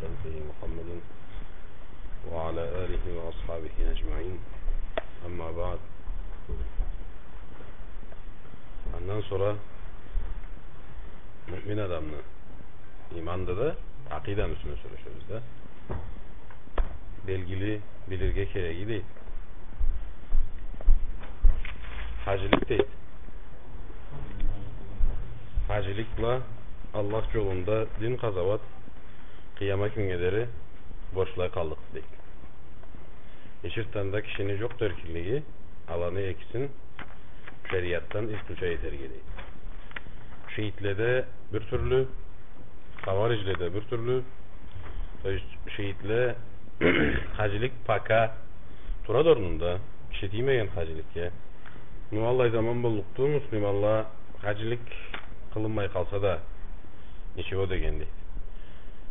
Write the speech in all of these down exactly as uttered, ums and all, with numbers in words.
سيدنا محمد وعلى آله وأصحابه أجمعين. أما بعد. Андан сора муъмин адамны иманды да, акъиданы юсюне сёлешебиз да. Белгили, билирге кереги дейди. Хаджилик дейди. Хаджилик бла Аллах джолунда дин къазауат къыямат кюннге дери борчлай къаллыкъды дейди. Ичерде да кишини джокъду эркинлиги, аланы экисин шериатдан исключать этерге дейди. Шиитледе бир тюрлю, хавариджледе бир тюрлю. То есть шиитле хаджилик пока турады орнунда, киши тиймеген хаджиликге. Ну, аллай заман боллукъду, муслиманла хаджилик къылынмай къалса да, ничего дегенди.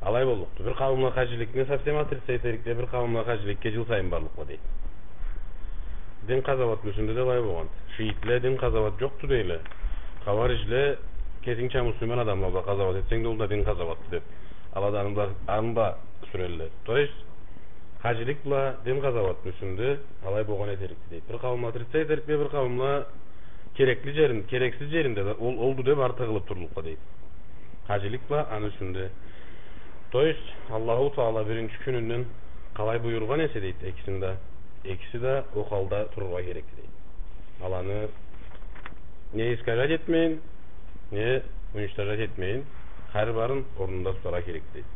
Алай боллукъду. Бир къауумла хаджиликни совсем отрицать этерикле, бир къауумла хаджиликге джыл сайын барлыкъла дейди. Дин къазауатны юсюнде да алай болгъанды. Шиитле дин къазауат джокъду дейле. Хавариджле кесингча муслиман адамла бла къазауат этсенг да, ол да дин къазауатды деб, ала да аны бла, аны бла сюрелле. То есть хаджилик бла дин къазауатны юсюнде алай болгъан этерикди дейди. Бир къауумла отрицать этерикле, бир къауумла керекли джерин-, керексиз джеринде да ол олду деб ары тыгъылыб турлукъла дейди. Хаджилик бла аны юсюнде. То есть Аллаху Таала биринчи кюнюнден къалай буюргъан эсе дейди, экисин да, экиси да ол халда турургъа керекди дейди. Аланы не искажать этмейин, не уничтожать этмейин, хар барын орнунда тутаргъа керекди дейди.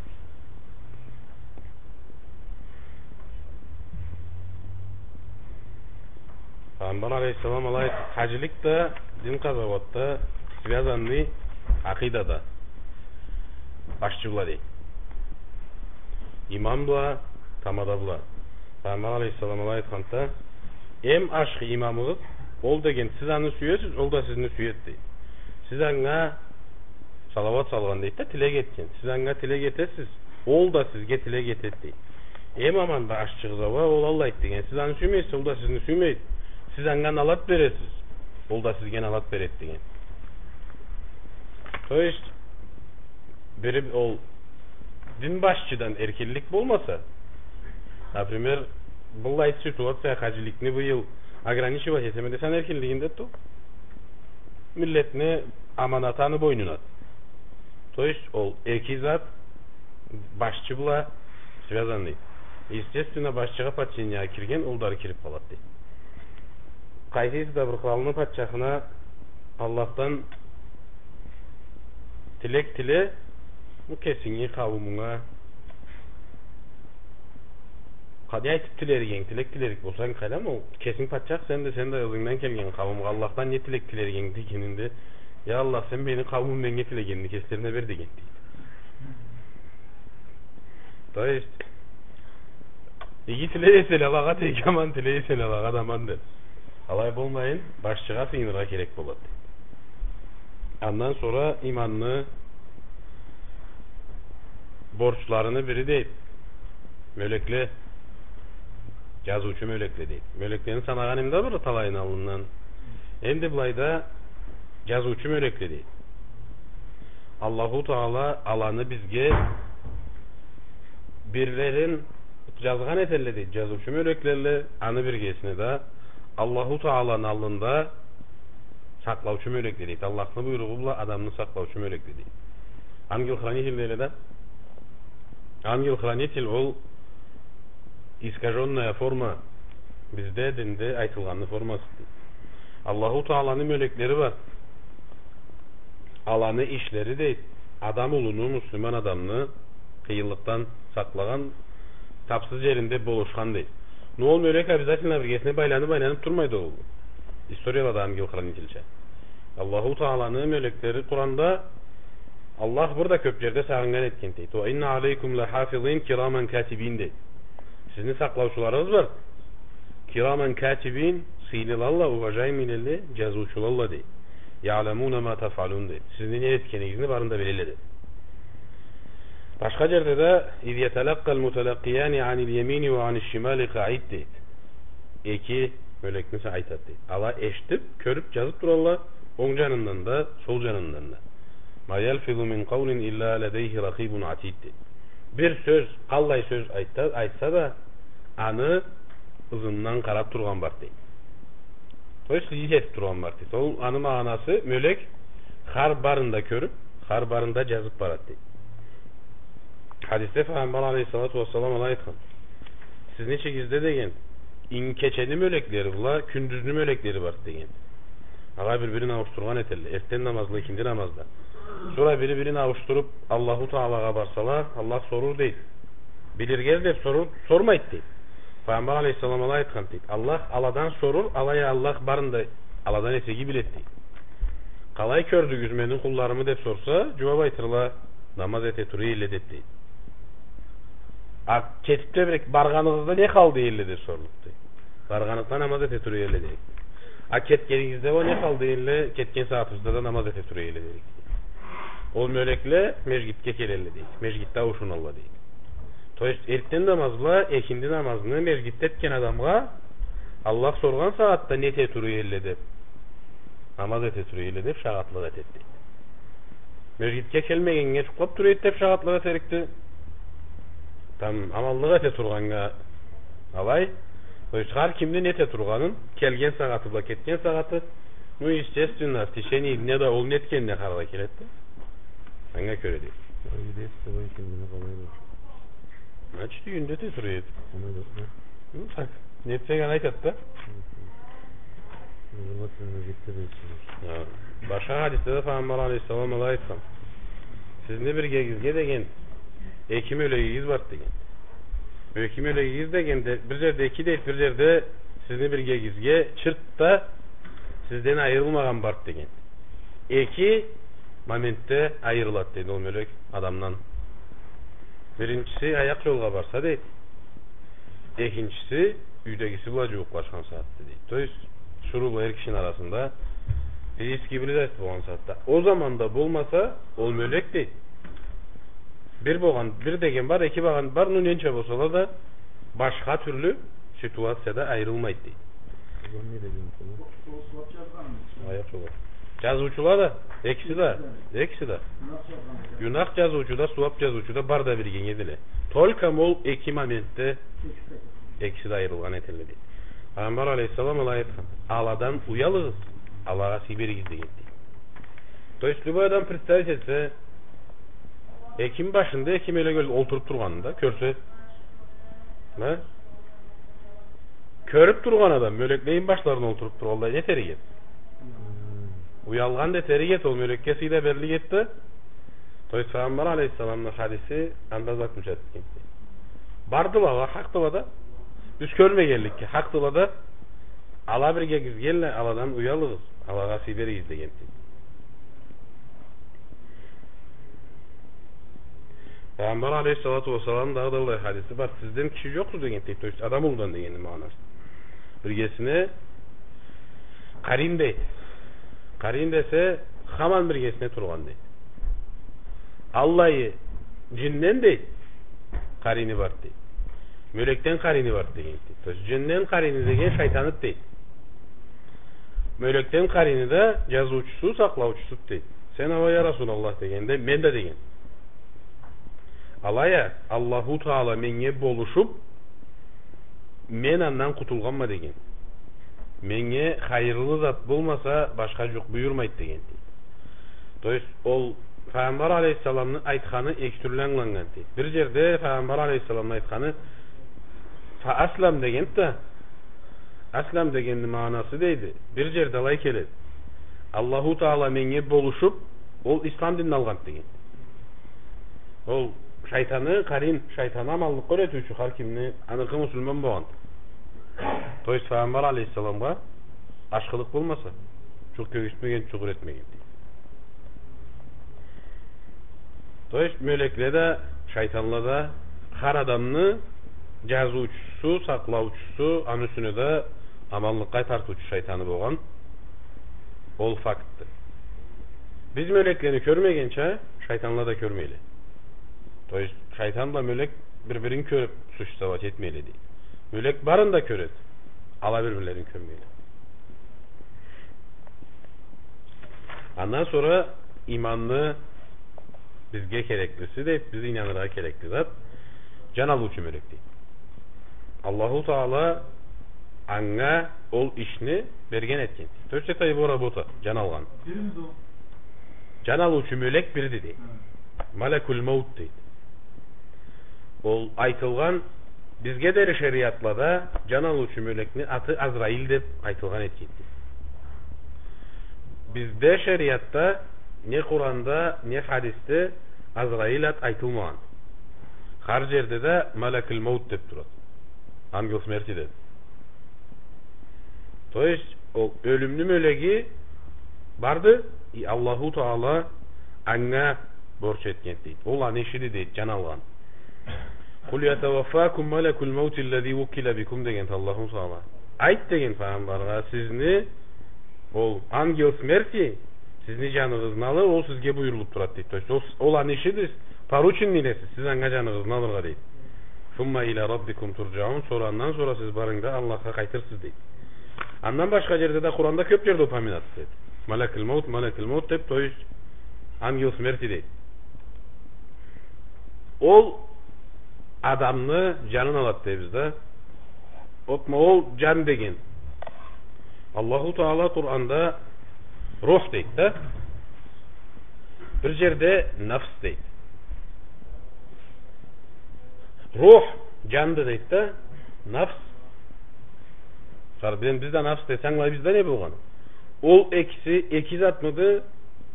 Пайгъамбар алейхиссалам алай айтды, хаджилик да, дин къазауат да связанный акъидада, башчы бла дейди. Имам бла, тамада бла. Пайгъамбар алейхиссалам алай айтханды: «Эм ашхы имамыгъыз ол деген, сиз аны сюесиз, ол да сизни сюеди», — дейди. Сиз анга салауат салгъан дейди да, тилек этген. Сиз анга тилек этесиз, ол да сизге тилек этеди дейди. Эм аман бла ашчыгъыз а уа, ол алайды деген. Сиз аны сюймейсиз, ол да сизни сюймейди. Сиз анга налат бересиз, ол да сизге налат береди деген. То есть, бири ол дин башчыдан эркинлик болмаса, например, быллай ситуация, хаджиликни быйыл ограничивать этеме десенг, эркинлигинде ту-, миллетни аманаты аны бойнунады. То есть ол эки зат башчы бла связанный. Естественно, башчыгъа подчинение кирген, ол да ары кирип къалады дейди. Къайсысы да бир къыралны патчахына Аллахдан тилек тиле, бу кесинги къауумунга къалай айтып тилеригенг, тилек тилерик болсанг, къайдам, ол кесинг патчах, сен да, сен да ызынгдан келген къауумгъа Аллахдан не тилек тилеригенг дегенинде, я Аллах, сен мени къауумум меннге тилегенни кеслерине бер деген дейди. То есть, иги тилей эселе алагъа да иги, аман тилей эселе алагъа да аман деп. Алай болмайын, башчыгъа сыйыныргъа керек болады. Андан сора иманны борчларыны бири дейди, мёлекле, джазыучу мёлекле дейди. Мёлеклени санагъан эм да бир талайын аллындан. Энди былайда джазыучу мёлекле дейди. Аллаху Таала аланы бизге бирлерин джазгъан этелле дейди, джазыучу мёлеклелле, аны биргесине да Аллаху Тааланы аллында сакълаучу мёлекле дейди. Аллахны буйругъу бла адамны сакълаучу мёлекле дейди. Ангел-хранитель дейле да. Ангел-хранитель ол искажённая форма, бизде динде айтылгъанны формасы дейди. Аллаху Тааланы мёлеклери бар. Аланы ишлери дейди, адам улуну, муслиман адамны къыйынлыкъдан сакълагъан, тапсыз джеринде болушхан дейди. Но ол мёлек обязательно биргесине байланып, айланып турмайды ол. Историялада ангел-хранительча. Аллаху Тааланы мёлеклери Къуранда Аллах бир да кёп джерде сагъыннган этген дейди. «Ва инна алейкум ла хафизин кираман катибин», — дейди. Сизни сакълаучуларыгъыз бар. Кираман катибин, сыйлылалла, уважаемыйлелле, джазыучулалла дейди. «Яъламуна ма тафъалун», — дейди. Сизни не этгенигизни барын да билелле дейди. Башха джерде да: «Из яталакъкъал муталакъкъияни анил ямини ва аниш шимали къаид», — дейди. Эки мёлекни са айтады дейди. Ала эшитип, кёрюп, джазып туралла, онг джанындан да, сол джанындан да. «Ма ялфизу мин къаулин илла ладейхи ракъибун атид», — дейди. Бир сёз, къаллай сёз айтса, айтса да, аны ызындан къарап тургъан барды, дейди. То есть, ис этип тургъан барды, дейди. Ол аны магъанасы, мёлек хар барын да кёрюп, хар барын да жазып барады, дейди. Хадисде Файгъамбар алейхиссалату уассалам алай айтхан: «Сизни ичигизде, — деген, — инг-, кечени мёлеклери бла кюндюзню мёлеклери барды», — деген. Ала бир-бирин ауушдургъан этелле, эртден намаз бла экинди намазда. Сора бири-бирин ауушдуруп, Аллаху Таалагъа барсала, Аллах сорур, дейди. Билирге деп сорур, сормайды, дейди. Файгъамбар алейхиссалам алай айтхан, дейди. Аллах аладан сорур, алай а Аллах барын да аладан эсе иги биледи, дейди. Къалай кёрдюгюз мени къулларымы деп сорса, жууап айтырла, намаз эте тура эдиле деп, дейди. А кетип тебирек баргъаныгъызда не халда эдиле деп сорлукъду. Баргъаныкъда намаз эте тура эдиле дейик. А кетгенигизде уа не халда эдиле, кетген сагъатыбызда да намаз эте тура эдиле дейик. Ол мёлекле межгитге келелле дейик. Межгитде ауушуналла дейик. То есть, эртден намаз бла экинди намазны межгитде этген адамгъа Аллах соргъан сагъатда не эте тура эдиле деп, намаз эте тура эдиле деп шагъатлыкъ этеди дейик. Межгитге келмегеннге жукълап тура эди деп шагъатлыкъ этерикди. Там аманлыкъ эте тургъаннга алай. То есть, хар кимни не эте тургъанын, келген сагъаты бла кетген сагъаты, ну, естественно, в течение дня да ол не этгенине къараргъа келеди да. Анга кёре дейди. Ой, дейсиз, ой, кимни къалай бар. Значит, юйюнде эте тура эди. Къалай бар, да? Ну, так. Не этсенг, аны айтады да. Мгм. Желательно, жетсе да. Хы. Башха хадисде да Файгъамбар алейхиссалам алай айтхан: «Сизни биргегизге, — деген, — эки мёлегигиз бар», — деген. Эки мёлегигиз дегенде, бир жерде эки дейди, бир жерде сизни биргегизге чырт да сизден айырылмагъан барды деген. Эки моментде айырылады дейди ол мёлек адамдан. Биринчиси аякъ жолгъа барса дейди. Экинчиси юйдегиси бла жууукълашхан сагъатда дейди. То есть, тиширыу бла эр кишини арасында физический близость болгъан сагъатда. Ол заманда болмаса, ол мёлек дейди. Бир болгъан, бир деген бар, эки болгъан бар, ну, ненча болсала да, башха тюрлю ситуацияда айырылмайды дейди. Ол не деген болду? Аякъ жолгъа. Жазыучула да, экиси да, экиси да. Гюнах жазыучу да, сууап жазыучу да бар да биргеге эдиле. Только ол эки моментде экиси да айырылгъан этелле дейди. Файгъамбар алейхиссалам алай айтхан: «Аладан уялыгъыз, алагъа сый беригиз», — деген дейди. То есть, любой адам представить этсе, Экини башында эки мёлек ол-, олтуруп тургъанын да кёрсе. Ма? Кёрюп тургъан адам мёлекле эки башларына олтуруп тургъанлай, не этерик эди? Уялгъан да этерик эди, ол мёлекге сый да берлик эди да. То есть, Файгъамбар алейхиссаламны хадиси анда заключаться этген. Бардыла, ала хакъдыла да. Биз кёрмегенликге хакъдыла да. Ала биргегизге келелле, аладан уялыгъыз, алагъа сый беригиз деген. Пайгъамбар алейхиссалату уассалам дагъыда аллай хадиси бар. Сизден киши жокъду деген, то есть адам улудан дегенни магъанасы. Биргесине къарин дейди. Къарин десе, хаман биргесине тургъан дейди. Аллай жинден дейди, къарини бар дейди. Мёлекден къарини бар деген дейди. То есть жинден къарини деген шайтаныды дейди. Мёлекден къарини да жазыучусу, сакълаучусуду дейди. Сен ала, я Расулаллах, дегенде, мен да деген. Алай а, Аллаху Таала меннге болушуп, мен андан къутулгъанма деген. Меннге хайырлы зат болмаса, башха жукъ буюрмайды деген дейди. То есть ол Пайгъамбар алейхиссаламны айтханы эки тюрлю ангыланнган дейди. Бир жерде Пайгъамбар алейхиссаламны айтханы «фа аслам» дегенди да, «аслам» дегенни магъанасы дейди, бир жерде алай келеди. Аллаху Таала меннге болушуп, ол ислам динни алгъанды деген. Ол шайтаны, къарин, шайтаны аманлыкъгъа юретиучю хар кимни, аныкъы муслиман болгъан. То есть Пайгъамбар алейхиссаламгъа ашхылыкъ болмаса, жукъ кёргюзтмеген, жукъ юретмеген. То есть мёлекле да, шайтанла да хар адамны жазыучусу, сакълаучусу, аны юсюне да аманлыкъгъа тартыучу шайтаны болгъан. Ол фактды. Биз мёлеклени кёрмегенча, шайтанла да кёрмейле. То есть шайтан бла мёлек бир-бирин кёрюп существовать этмейле дейди. Мёлек барын да кёреди. Ала бир-бирлерин кёрмейле. Андан сора иманны Бизге кереклиси, дейт, биз ийнаныргъа керекли зат, джан алыучу мёлек, дейт. Аллаху Таала анга ол ишни берген этген. То есть это его работа, джан алгъан. Джан алыучу мёлек бирди, дейт. Малакуль-маут, дейт. Ол айтылгъан, бизге дери шериатлада джан алыучу мёлекни аты Азраил деб айтылгъан этген, дейт. Бизде шериатда не Къуранда, не хадисде Азраил ат айтылмагъан. Хар джерде да Малакуль-маут деб турады. Ангел смерти деб. То есть, ол ёлюмню мёлеги барды, и Аллаху Таала анга борч этген, дейт. Ол аны ишиди, дейт, джан алгъан. «Къуль ятаваффакум малакуль-маутиллази вуккиля бикум», — деген Аллаху Таала. Айт, деген, файгъамбаргъа, сизни ол ангел смерти сизни джаныгъызны алыр, ол сизге буюрулуб турады, дейт. То есть, ол, ол аны ишиди, порученныйле сиз, сиз анга джаныгъызны алыргъа, дейт. «Сумма иля раббикум турджаун», сора андан сора сиз барыгъыз да Аллахха къайтырсыз, дейт. Андан башха джерде да, Къуранда кёб джерде упоминаться этеди. Малакуль-маут, Малакуль-маут деб, то есть ангел смерти, дейт. Ол адамны джанын алады дейбиз да. Ол, ол джан деген. Аллаху Таала Къуранда рух дейди да. Бир джерде нафс дейди. Рух джанды дейди да. Нафс. Къара, бизде нафс десе, ангылайбыз да не болгъанын. Ол экиси эки затмыды,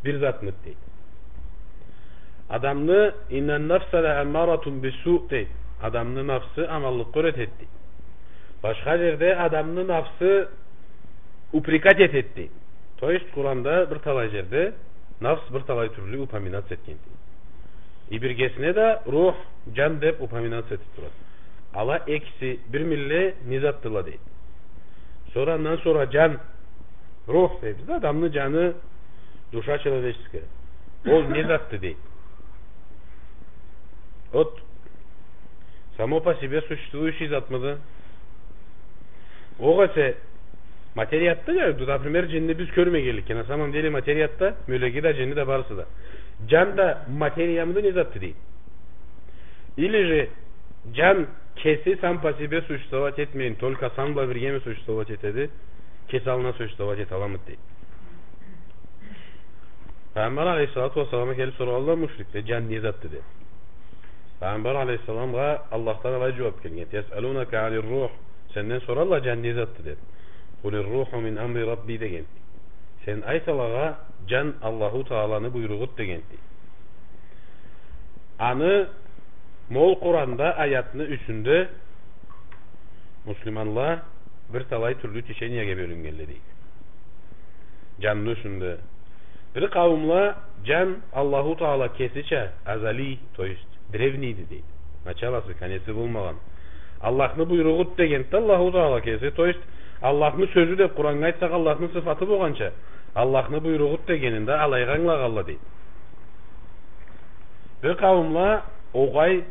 бир затмыды дейди. Адамны «инна нафса ля аммаратун бис-су» дейди. Адамны нафсы аманлыкъгъа юретеди дейди. Башха джерде адамны нафсы упрекать этеди дейди. То есть Къуранда бир талай джерде нафс бир талай тюрлю упоминаться этген дейди. И биргесине да рух, джан деб упоминаться этиб турады. Ала экиси бир милле не затдыла дейди. Сора андан сора джан, рух дейбиз да, адамны джаны, душа человеческая. Ол не затды дейди. Вот само по себе существующий затмыды? Огъесе материятды, например, джинни биз кёрмегенликге, на самом деле материятда мёлеги да, джинни да, барысы да. Джан да, материямыды, не затды дейди. Или же джан кеси сам по себе существовать этмейин, только сан бла биргеми существовать этеди, кеси аллына существовать эталамыды дейди. Пайгъамбар алейхиссалату уассаламгъа келиб сорагъанла мушрикле, джан не затды деб. Пайгъамбар алейхиссаламгъа Аллахдан алай джууаб келген: «Ясъалунака анир-рух». Сенден соралла, джан не затды деб. «Къулир-руху мин амри Рабби», — деген. Сен айт алагъа, джан Аллаху Тааланы буйругъуду деген. Аны, ма ол Къуранда аятны юсюнде муслиманла бир талай тюрлю течениеге бёлюннгенле дейди. Джанны юсюнде. Бир къауумла джан Аллаху Таала кесича азали, то есть древнийди дейди. Началасы, конеци болмагъан. Аллахны буйругъуду дегенде Аллаху Таала кеси, то есть Аллахны сёзю деб Къураннга айтсакъ, Аллахны сыфаты болгъанча, Аллахны буйругъуду дегенинде алайгъа ангылагъанла дейди. Бир къауумла огъай,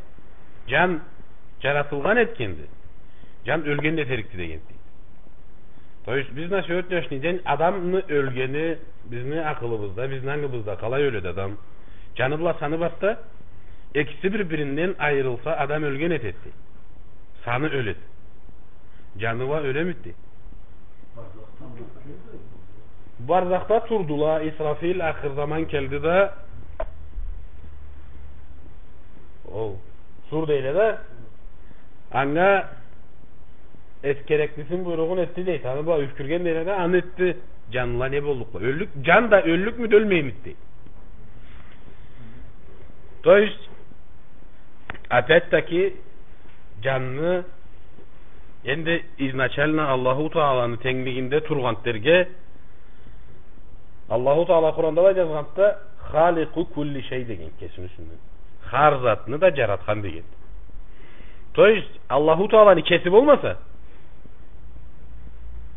джан джаратылгъан этгенди, джан ёлген да этерикди дегенди. То есть биз на сегодняшний день адамны ёлгени бизни акъылыбызда, бизни ангыбызда къалай ёледи адам? Джаны бла саны барса, экиси бир-биринден айырылса, адам ёлген этеди. Саны ёледи. Джаны уа ёлемиди? Барзахда турдула, Исрафил ахыр заман келди да, ол сур дейле да, анга эс-, кереклисин, буйругъун этди дейди. Аны бла юфкюрген дейле да, аны этди. Джанла не боллукъла? Ёллюк, джан да ёллюкмюдю, ёлмеймиди дейди. То есть, опять-таки, джанны энди изначально Аллаху Тааланы тенглигинде тургъан дерге, Аллаху Таала Къуранда да джазгъанды да, «Халикъу кулли шей» деген кесини юсюнден. Хар затны да джаратхан деген. То есть, Аллаху Тааланы кеси болмаса,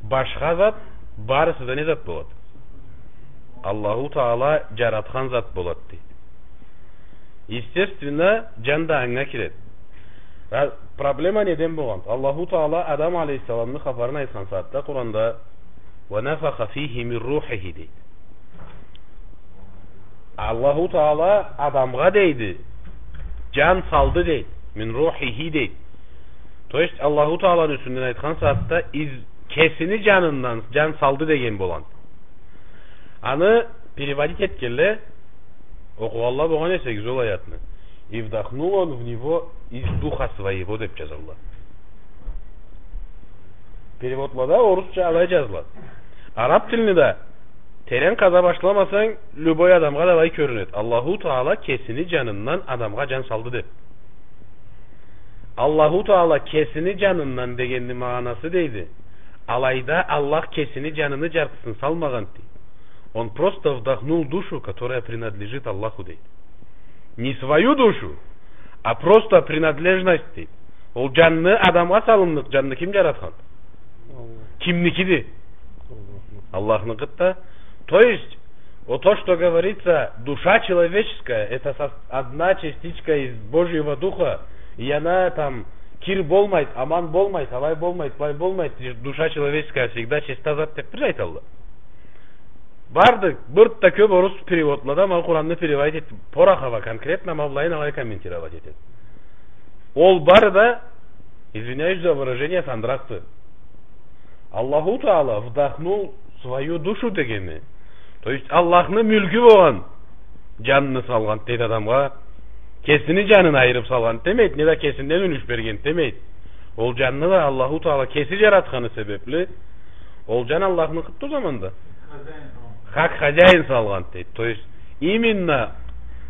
башха зат, барысы да не зат болады? Аллаху Таала джаратхан зат болады дейди. Естественно, джан да анга киреди. Ра-, проблема неден болгъан? Аллаху Таала Адам алейхиссаламны хапарын айтхан сагъатда Къуранда «Уа нафаха фихи мин рухихи» дейди. Аллаху Таала адамгъа дейди, джан салды дейди. Мин рухихи дейди. То есть Аллаху Тааланы юсюнден айтхан сагъатда из-, кесини джанындан джан салды деген болгъан. Аны переводить этгенле, окъугъанла болгъан эсегиз ол аятны. И вдохнул он в него из духа своего деп джазалла. Переводлада орусча алай джазыла. Араб тилни да терен къаза башламасанг, любой адамгъа да алай кёрюнеди. Аллаху Таала кесини джанындан адамгъа джан салды деп. Аллаху Таала кесини джанындан дегенни магъанасы дейди. Алайда Аллах кесини джаныны джартысын салмагъан дейди. Он просто вдохнул душу, которая принадлежит Аллаху дейди. Не свою душу, а просто принадлежность дейди. Ол джанны адамгъа салынныкъ, джанны ким джаратхан? Аллах. Кимникиди? Аллахны. Аллахныкъыды да. То есть, о, то, что говорится, душа человеческая, это со-, одна частичка из Божьего Духа, и она там кир болмайды, аман болмайды, алай болмайды, былай болмайды, душа человеческая всегда чиста зат деп бир айталла. Барды, бир да кёп орус переводлада, ма Къуранны переводить этди. Порохова конкретно, ма былайын алай комментировать этеди. Ол бары да, извиняюсь за выражение, сандыракъды. Аллаху Таала вдохнул свою душу дегени. То есть Аллахны мюлкю болгъан джанны салгъан дейди адамгъа. Кесини джанын айырып салгъан демейди, не да кесинден юлюш берген демейди. Ол джанны да Аллаху Таала кеси джаратханы себепли, ол джан Аллахныкъыды о заманда. Хозяин салгъан. Хакъ хозяин салгъан дейди. То есть, именно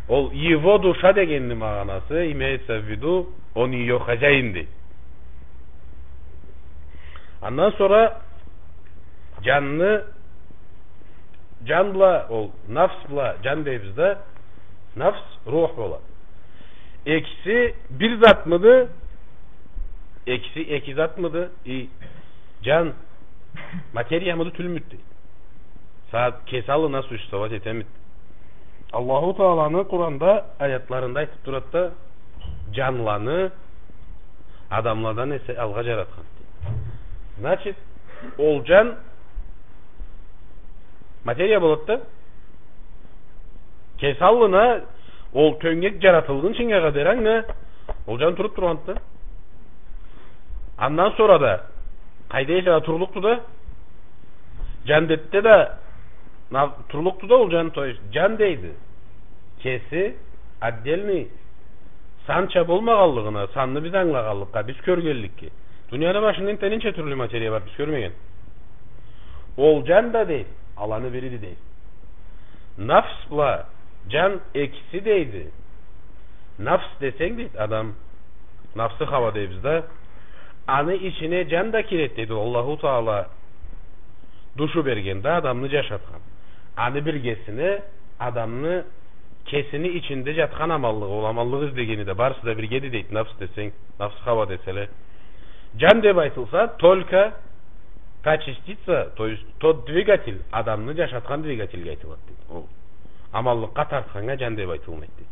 ол его душа дегенни магъанасы, имеется в виду, он её хозяин дейди. Андан сора джанны, джан бла, ол, нафс бла джан дейбиз да, нафс рух бола. Экиси бир затмыды? Экиси эки затмыды? И джан материямыды, тюлмюдю? Сагъат кеси аллына существовать этемиди? Аллаху Тааланы Къуранда аятларында айтып турады да, джанланы адамладан эсе алгъа джаратхан. Значит, ол джан материя болады да, кеси аллына ол тёнгек джаратылгъынчынга къадар анга ол джан туруп тургъанды да. Андан сора да къайда эсе да турлукъду да, джандетде да на-, турлукъду да ол джан, то есть джан дейди. Кеси отдельный, санча болмагъанлыгъына, санны биз ангылагъанлыкъгъа, биз кёргенликге. Дунияны башында энтта ненча тюрлю материя бар, биз кёрмеген. Ол джан да дейди, аланы бириди дейди. Нафс бла джан экиси дейди. Нафс десенг дейди, адам, нафсы хава дейбиз да. Аны ичине джан да киреди дейди. Аллаху Таала душу берген да, адамны джашатхан. Аны биргесине адамны кесини ичинде джатхан аманлыгъы, ол аманлыкъ излегени да, барысы да биргеди дейди, нафс десенг, нафсы хава деселе. Джан деп айтылса, только та частица, то есть тот двигатель, адамны джашатхан двигательге айтылады дейди. Ол аманлыкъгъа тартханнга джан деп айтылмайды дейди.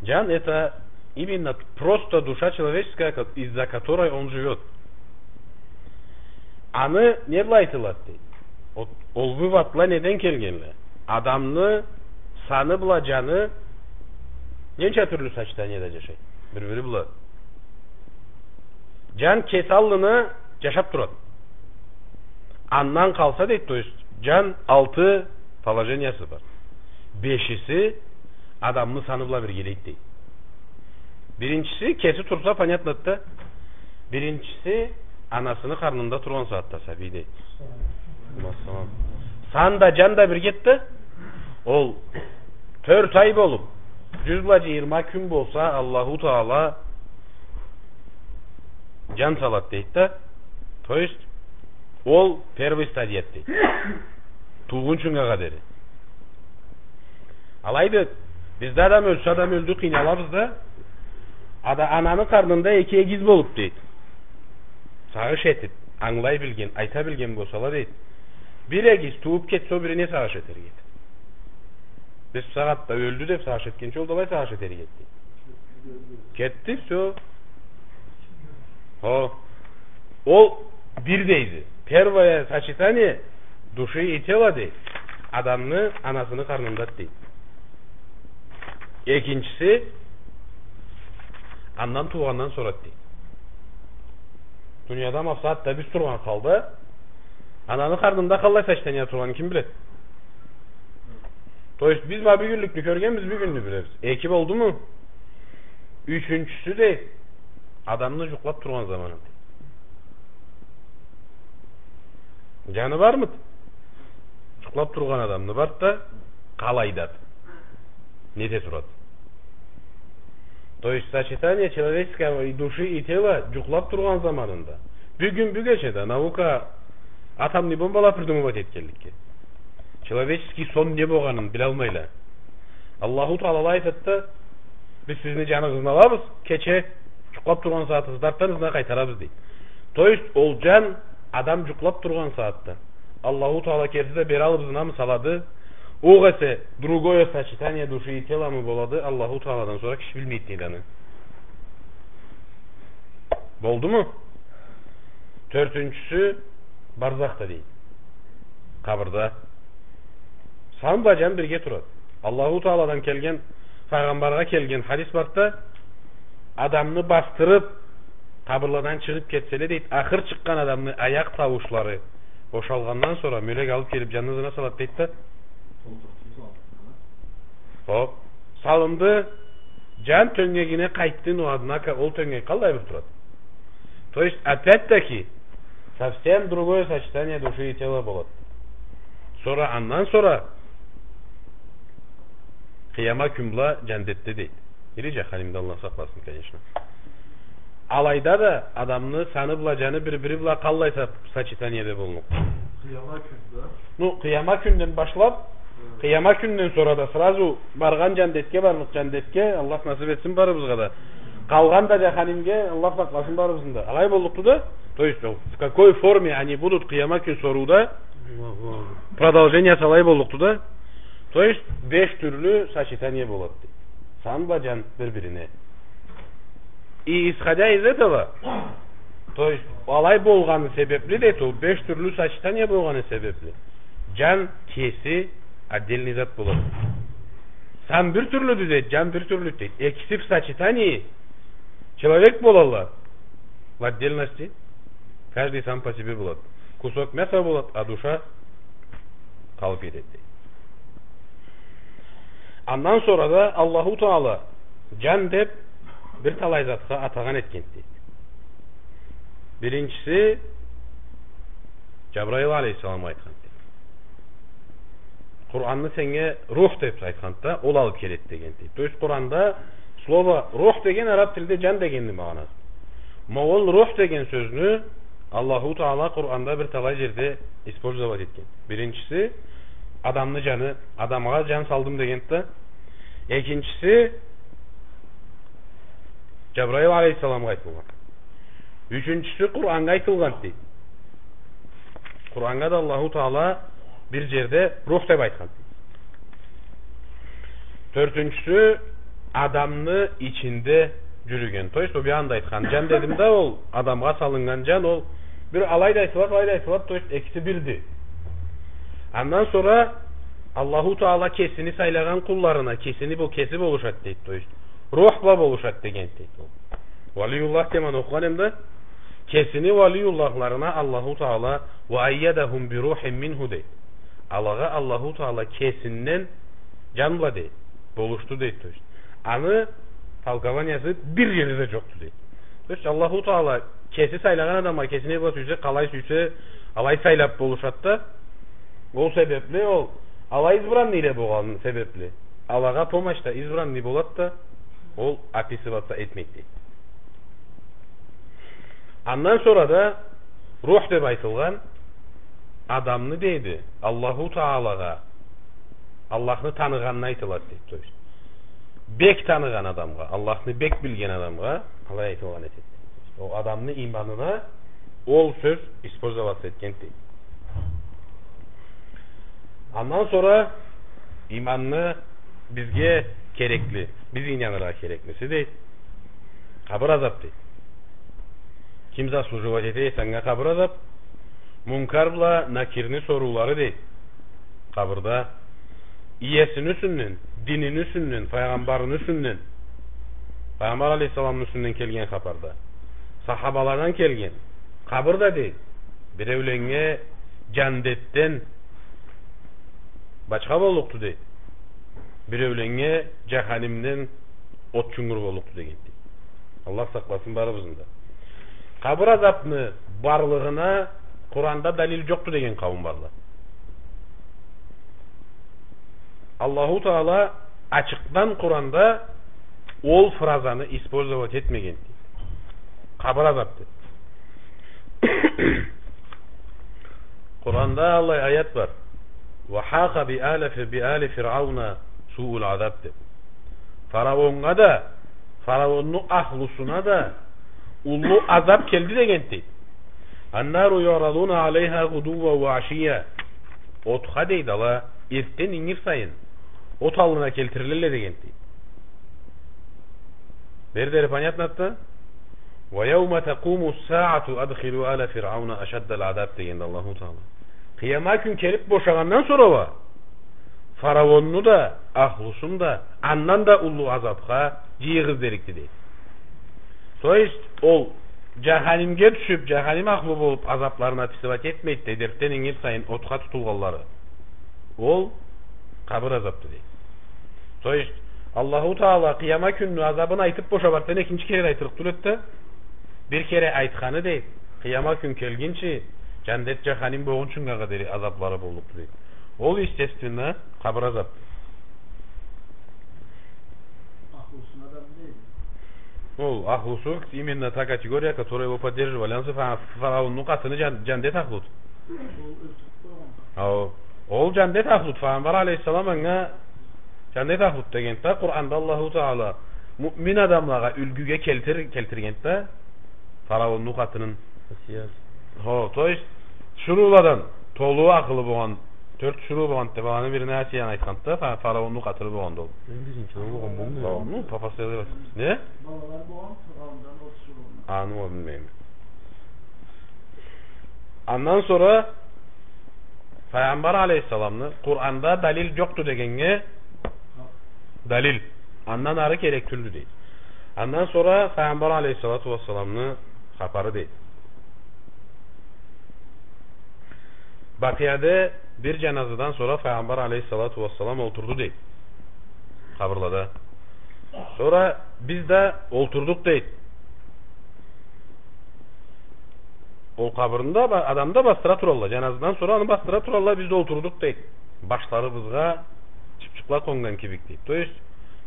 Джан — это именно просто душа человеческая, ко-, из-за которой он живёт. Аны не бла айтылады дейди? Ол, ол выводла неден келгенле? Адамны саны бла джаны ненча тюрлю сочетаниеде джашайды? Бир-бири бла. Джан кеси аллына джашап турады. Андан къалса дейди, то есть джан алты положениясы бар. Бешиси адамны саны бла биргелейди дейди. Биринчиси, кеси турса, понятно да. Биринчиси, анасыны къарнында тургъан сагъатда сабий дейди. Массалам. Сан да, джан да биргеди да, ол тёрт ай болуп, джюз бла джыйырма кюн болса, Аллаху Таала джан салады дейди да. То есть, ол первый стадия дейди. Туугъунчунга къадери. Алайды, бизде адам ёлсе, адам ёлдю, къыйналабыз да. Ада-, ананы къарнында эки эгиз болуп дейди. Сагъыш этип, ангылай билген, айта билген болсала дейди. Бир эгиз тууп кетсе, ол бирине сагъыш этерик эди. Биз бусагъатда ёлдю деп сагъыш этгенча, ол да алай сагъыш этерик эди. Кетди, всё. Хо. Ол бир дейди. Первое сочетание души и тела дейди. Адамны анасыны къарнында, дейди. Экинчиси, андан туугъандан сора, дейди. Дунияда ма бусагъатда биз тургъан халда, ананы къарнында къаллай сочетание тургъанын ким биледи? То есть, биз ма бюгюнлюкню кёргенбиз, бюгюнню билебиз. Эки болдуму? Ючюнчюсю, дейди, адамны жукълап тургъан заманы. Жаны бармыды? Жукълап тургъан адамны барды да, къалайдады? Не эте турады? То есть сочетание человеческого и души, и тела жукълап тургъан заманында. Бюгюн, бюгече да наука атомный бомбала придумывать этгенликге, человеческий сон не болгъанын билалмайла. Аллаху Таала айтады да, биз сизни жаныгъызны алабыз, кече жукълап тургъан сагъатыгъызда артдан ызына къайтарабыз, дейди. То есть ол жан адам жукълап тургъан сагъатда Аллаху Таала керти да бери алып ызынамы салады, огъесе другое сочетание души и теламы болады, Аллаху Тааладан сора киши билмейди, дейди, аны. Болдуму? Тёртюнчюсю барзахда, дейди. Къабырда. Сан бла жан бирге турады. Аллаху Тааладан келген, Пайгъамбаргъа келген хадис барды да, адамны басдырып, къабырладан чыгъып кетселе, дейди, ахыр чыкъгъан адамны аякъ тауушлары бошалгъандан сора мёлек алып келип жанны ызына салады, дейди да. Хоп. Салынды, жан тёнгегине къайтды, но, однако, ол тёнгек къаллай бир турады? То есть, опять-таки, совсем другое сочетание души и тела болады. Сора, андан сора къыяма кюн бла жаннетде, дейди. Или жаханимде, Аллах сакъласын, конечно. Алайда да адамны саны бла жаны бир-бири бла къаллай со-, сочетаниеде боллукъду? Къыяма кюн да. Ну, къыяма кюнден башлап, къыяма кюнден сора да сразу баргъан жаннетге, барлыкъ жаннетге, Аллах насып этсин барыбызгъа да. Къалгъан да жаханимге, Аллах сакъласын барыбызны да. Алай боллукъду да, то есть, в какой форме они будут, къыяма кюн сорууда продолжениясы алай боллукъду да. То есть, беш тюрлю сочетание болады, дейди. Сан бла жан бир-бирине. И исходя из этого, то есть, алай болгъаны себепли, дейди, ол беш тюрлю сочетание болгъаны себепли, жан кеси отдельный зат болады. Сан бир тюрлюдю, дейди, жан бир тюрлюдю, дейди. Экиси в сочетании человек болалла в отдельности. Каждый сам по себе болады. Кусок мяса болады, а душа къалып кетеди, дейди. Андан сора да Аллаху Таала жан деп бир талай затха атагъан этген, дейди. Биринчиси, Жабраил алейхиссаламгъа айтхан, дейди. Къуранны сеннге рух деп айтханды да, ол алып келеди деген, дейди. То есть Къуранда слово рух деген араб тилде жан дегенни магъанасы. Ма ол рух деген сёзню Аллаху Таала Къуранда бир талай жерде использовать этген. Биринчиси, адамны жаны, адамгъа жан салдым дегенди да. Экинчиси, Жабраил алейхиссаламгъа айтылгъан. Ючюнчюсю Къураннга айтылгъан, дейди. Къураннга да Аллаху Таала бир жерде рух деп айтхан, дейди. Тёртюнчюсю адамны ичинде жюрюген. То есть, ол бир анда айтхан жан дедим да, ол адамгъа салыннган жан, ол бир алай да айтылады, алай да айтылады, то есть, экиси бирди. Андан сора Аллаху Таала кесини сайлагъан къулларына, кесини бу, кеси болушады, дейди, то есть, рух бла болушады деген, дейди ол. Валиюллах демени окъугъан эм да, кесини валиюллахларына Аллаху Таала «Ва айядахум би рухим минху», дейди. Алагъа Аллаху Таала кесинден жан бла, дейди, болушду, дейди, то есть. Аны толкованиясы бир жерде да жокъду, дейди. То есть Аллаху Таала кеси сайлагъан адамгъа кеси не бла сюйсе, къалай сюйсе, алай сайлап болушады да. Ол себепли ол, алай избранныйле болгъаны себепли, алагъа помощь да избранный болады да, ол описываться этмейди, дейди. Андан сора да рух деп айтылгъан адамны, дейди, Аллаху Таалагъа, Аллахны таныгъанына айтылады, дейди. То есть, бек таныгъан адамгъа, Аллахны бек билген адамгъа алай айтылгъан этеди. Ол адамны иманына ол сёз использоваться этген, дейди. Андан сора иманны бизге керекли, биз ийнаныргъа кереклиси, дейди, къабыр азаб, дейди. Ким заслуживать эте эсе анга къабыр азаб? Мункар бла Накирни соруулары, дейди. Къабырда иесини юсюнден, динини юсюнден, файгъамбарыны юсюнден, файгъамбар алейхиссаламны юсюнден келген хапарда, сахабаладан келген, къабыр да, дейди, биреуленнге джандетден бачха боллукъду, дейди, биреуленнге джаханимден от чунгур боллукъду, дегенди. Аллах сакъласын барыбызны да. Къабыр азабны барлыгъына Къуранда далил джокъду деген къауум барла. Аллаху Таала ачыкъдан Къуранда ол фразаны использовать этмегенди. Къабыр азаб деб. Къуранда аллай аят бар. «وحاق بآل ف-، بآل فرعون سوء العذاب» деб. Фараоннга да, фараонну ахлусуна да уллу азаб келди дегенди. «النار يعرضون عليها غدوا وعشيا». Отха, дейди, ала эртден ингир сайын от аллына келтирилелле дегенди. Бери дери понятно да? «ويوم تقوم الساعة أدخلوا آل فرعون أشد العذاب» дегенди Аллаху Таала. Къыяма кюн келиб бошагъандан сора уа фараонну да, ахлусун да андан да уллу азабха джыйыгъыз дерикди, дейди. То есть, ол джаханимге тюшюб, джаханим ахлу болуб, азабларын описывать этмейди, дейди, эртден ингир сайын отха тутулгъанлары. Ол къабыр азабды, дейди. То есть, Аллаху Таала къыяма кюнню азабын айтыб бошаб, артдан экинчи кере айтырыкъ тюл эди да, бир кере айтханы, дейди, къыяма кюн келгинчи, джандет, джаханим болгъунчугъа къадери азаблары боллукъду, дейди. Ол, естественно, къабыр азабды. Ол ахлусу, именно та категория, которая его поддерживали. Ансы фа-, фараонну къатыны джан-, джандет ахлуду. Ол Ол джандет ахлуд, файгъамбар алейхиссалам анга джандет ахлуд дегенди да, Къуранда Аллаху Таала муъмин адамлагъа юлгюге келтир-, келтиргенди да, фараонну къатынын. Асия. Хо, то есть, тиширыуладан толу акъылы болгъан, тёрт тиширыу болгъанды деб, аланы бирине Асияны айтханды да, фа-, фараонну къатыны болгъанды ол. Мен бизнича ол болгъан болмай. Хо, ну, папасы деб айтханды. Не? Балалары болгъан, фараондан ол тиширыуну. Аны ол билмейме. Андан сора Файгъамбар алейхиссаламны Къуранда далил джокъду дегеннге далил. Андан ары керек тюлдю, дейди. Андан сора Файгъамбар алейхиссалату уассаламны хапары, дейди. Бакъияда бир джаназадан сора Файгъамбар алейхиссалату уассалам олтурду, дейди. Къабырлада. Сора биз да олтурдукъ, дейди. Ол къабырны да ба-, адамны да басдыра туралла. Джаназадан сора аны басдыра туралла, биз да олтурдукъ, дейди. Башларыбызгъа чыпчыкъла къоннган кибик, дейди. То есть,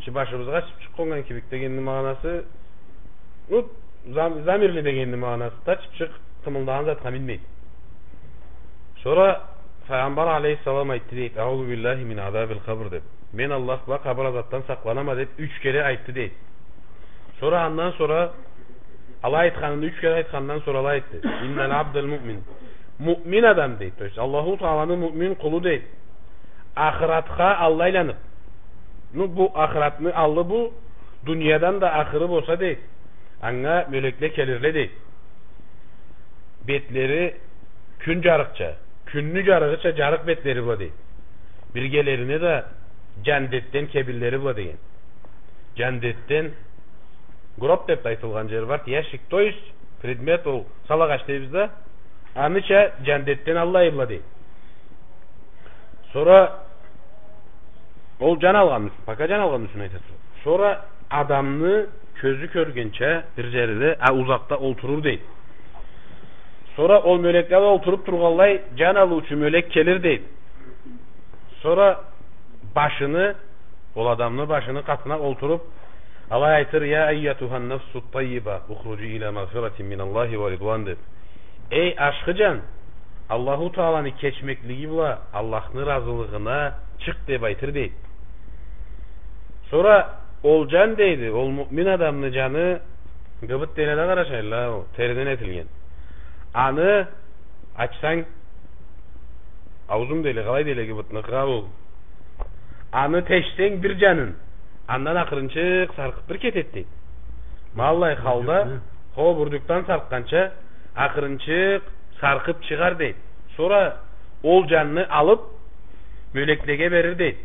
чы-, башыбызгъа чыпчыкъ къоннган кибик дегенни магъанасы, ну, зам-, замерли дегенни магъанасы да, чыпчыкъ къымылдагъан затха минмейди. Сора Файгъамбар алейхиссалам айтды, дейди, «Аузу биллахи мин азабил къабр», деб. «Мен Аллах бла къабыр азабдан сакъланама», деб, юч кере айтды, дейди. Сора андан сора алай айтханын, юч кере айтхандан сора алай айтды. «Иннал абдал муъмин». Муъмин адам, дейди. То есть, Аллаху Тааланы муъмин къулу, дейди. Ахыратха аллы айланыб. Ну, бу ахыратны аллы бу, дуниядан да ахыры болса, дейди. Анга мёлекле келирле, дейди. Бетлери кюн джарыкъча, кюнню джарыгъыча джарыкъ бетлери бла, дейди. Биргелерине да джандетден кебинлери бла деген. Джандетден гроб деб да айтылгъан джери бар, ящик, то есть предмет ол, сал агъач дейбиз да, аныча джандетден аллай бла, дейди. Сора ол джан алгъан, пока джан алгъан ючюн айтады. Сора адамны кёзю кёргенча бир джерде, а, узакъда олтурур, дейди. Сора ол мёлекле да олтуруб тургъанлай, джан алыучу мёлек келир, дейди. Сора башыны, ол адамны башыны къатына олтуруб, алай айтыр: «Я айятухан нафсу таййиба, ухруджи иля магъфиратин миналлахи ва ридуан», деб. «Эй, ашхы джан, Аллаху Тааланы кечмеклиги бла Аллахны ыразылыгъына чыкъ», деб айтыр, дейди. Сора ол джан, дейди, ол муъмин адамны джаны, гыбыт дейле да, къарачайла, ол териден этилген. Аны ачсанг, аузум дейле, къалай дейле, гыбытныкъы ол. Аны тешсенг бир джанын, андан акъырынчыкъ саркъыб бир кетед, дейди. Ма аллай халда, хо, бурдюкдан саркъгъанча, акъырынчыкъ саркъыб чыгъар, дейди. Сора ол джанны алыб, Мёлеклеге берир, дейди.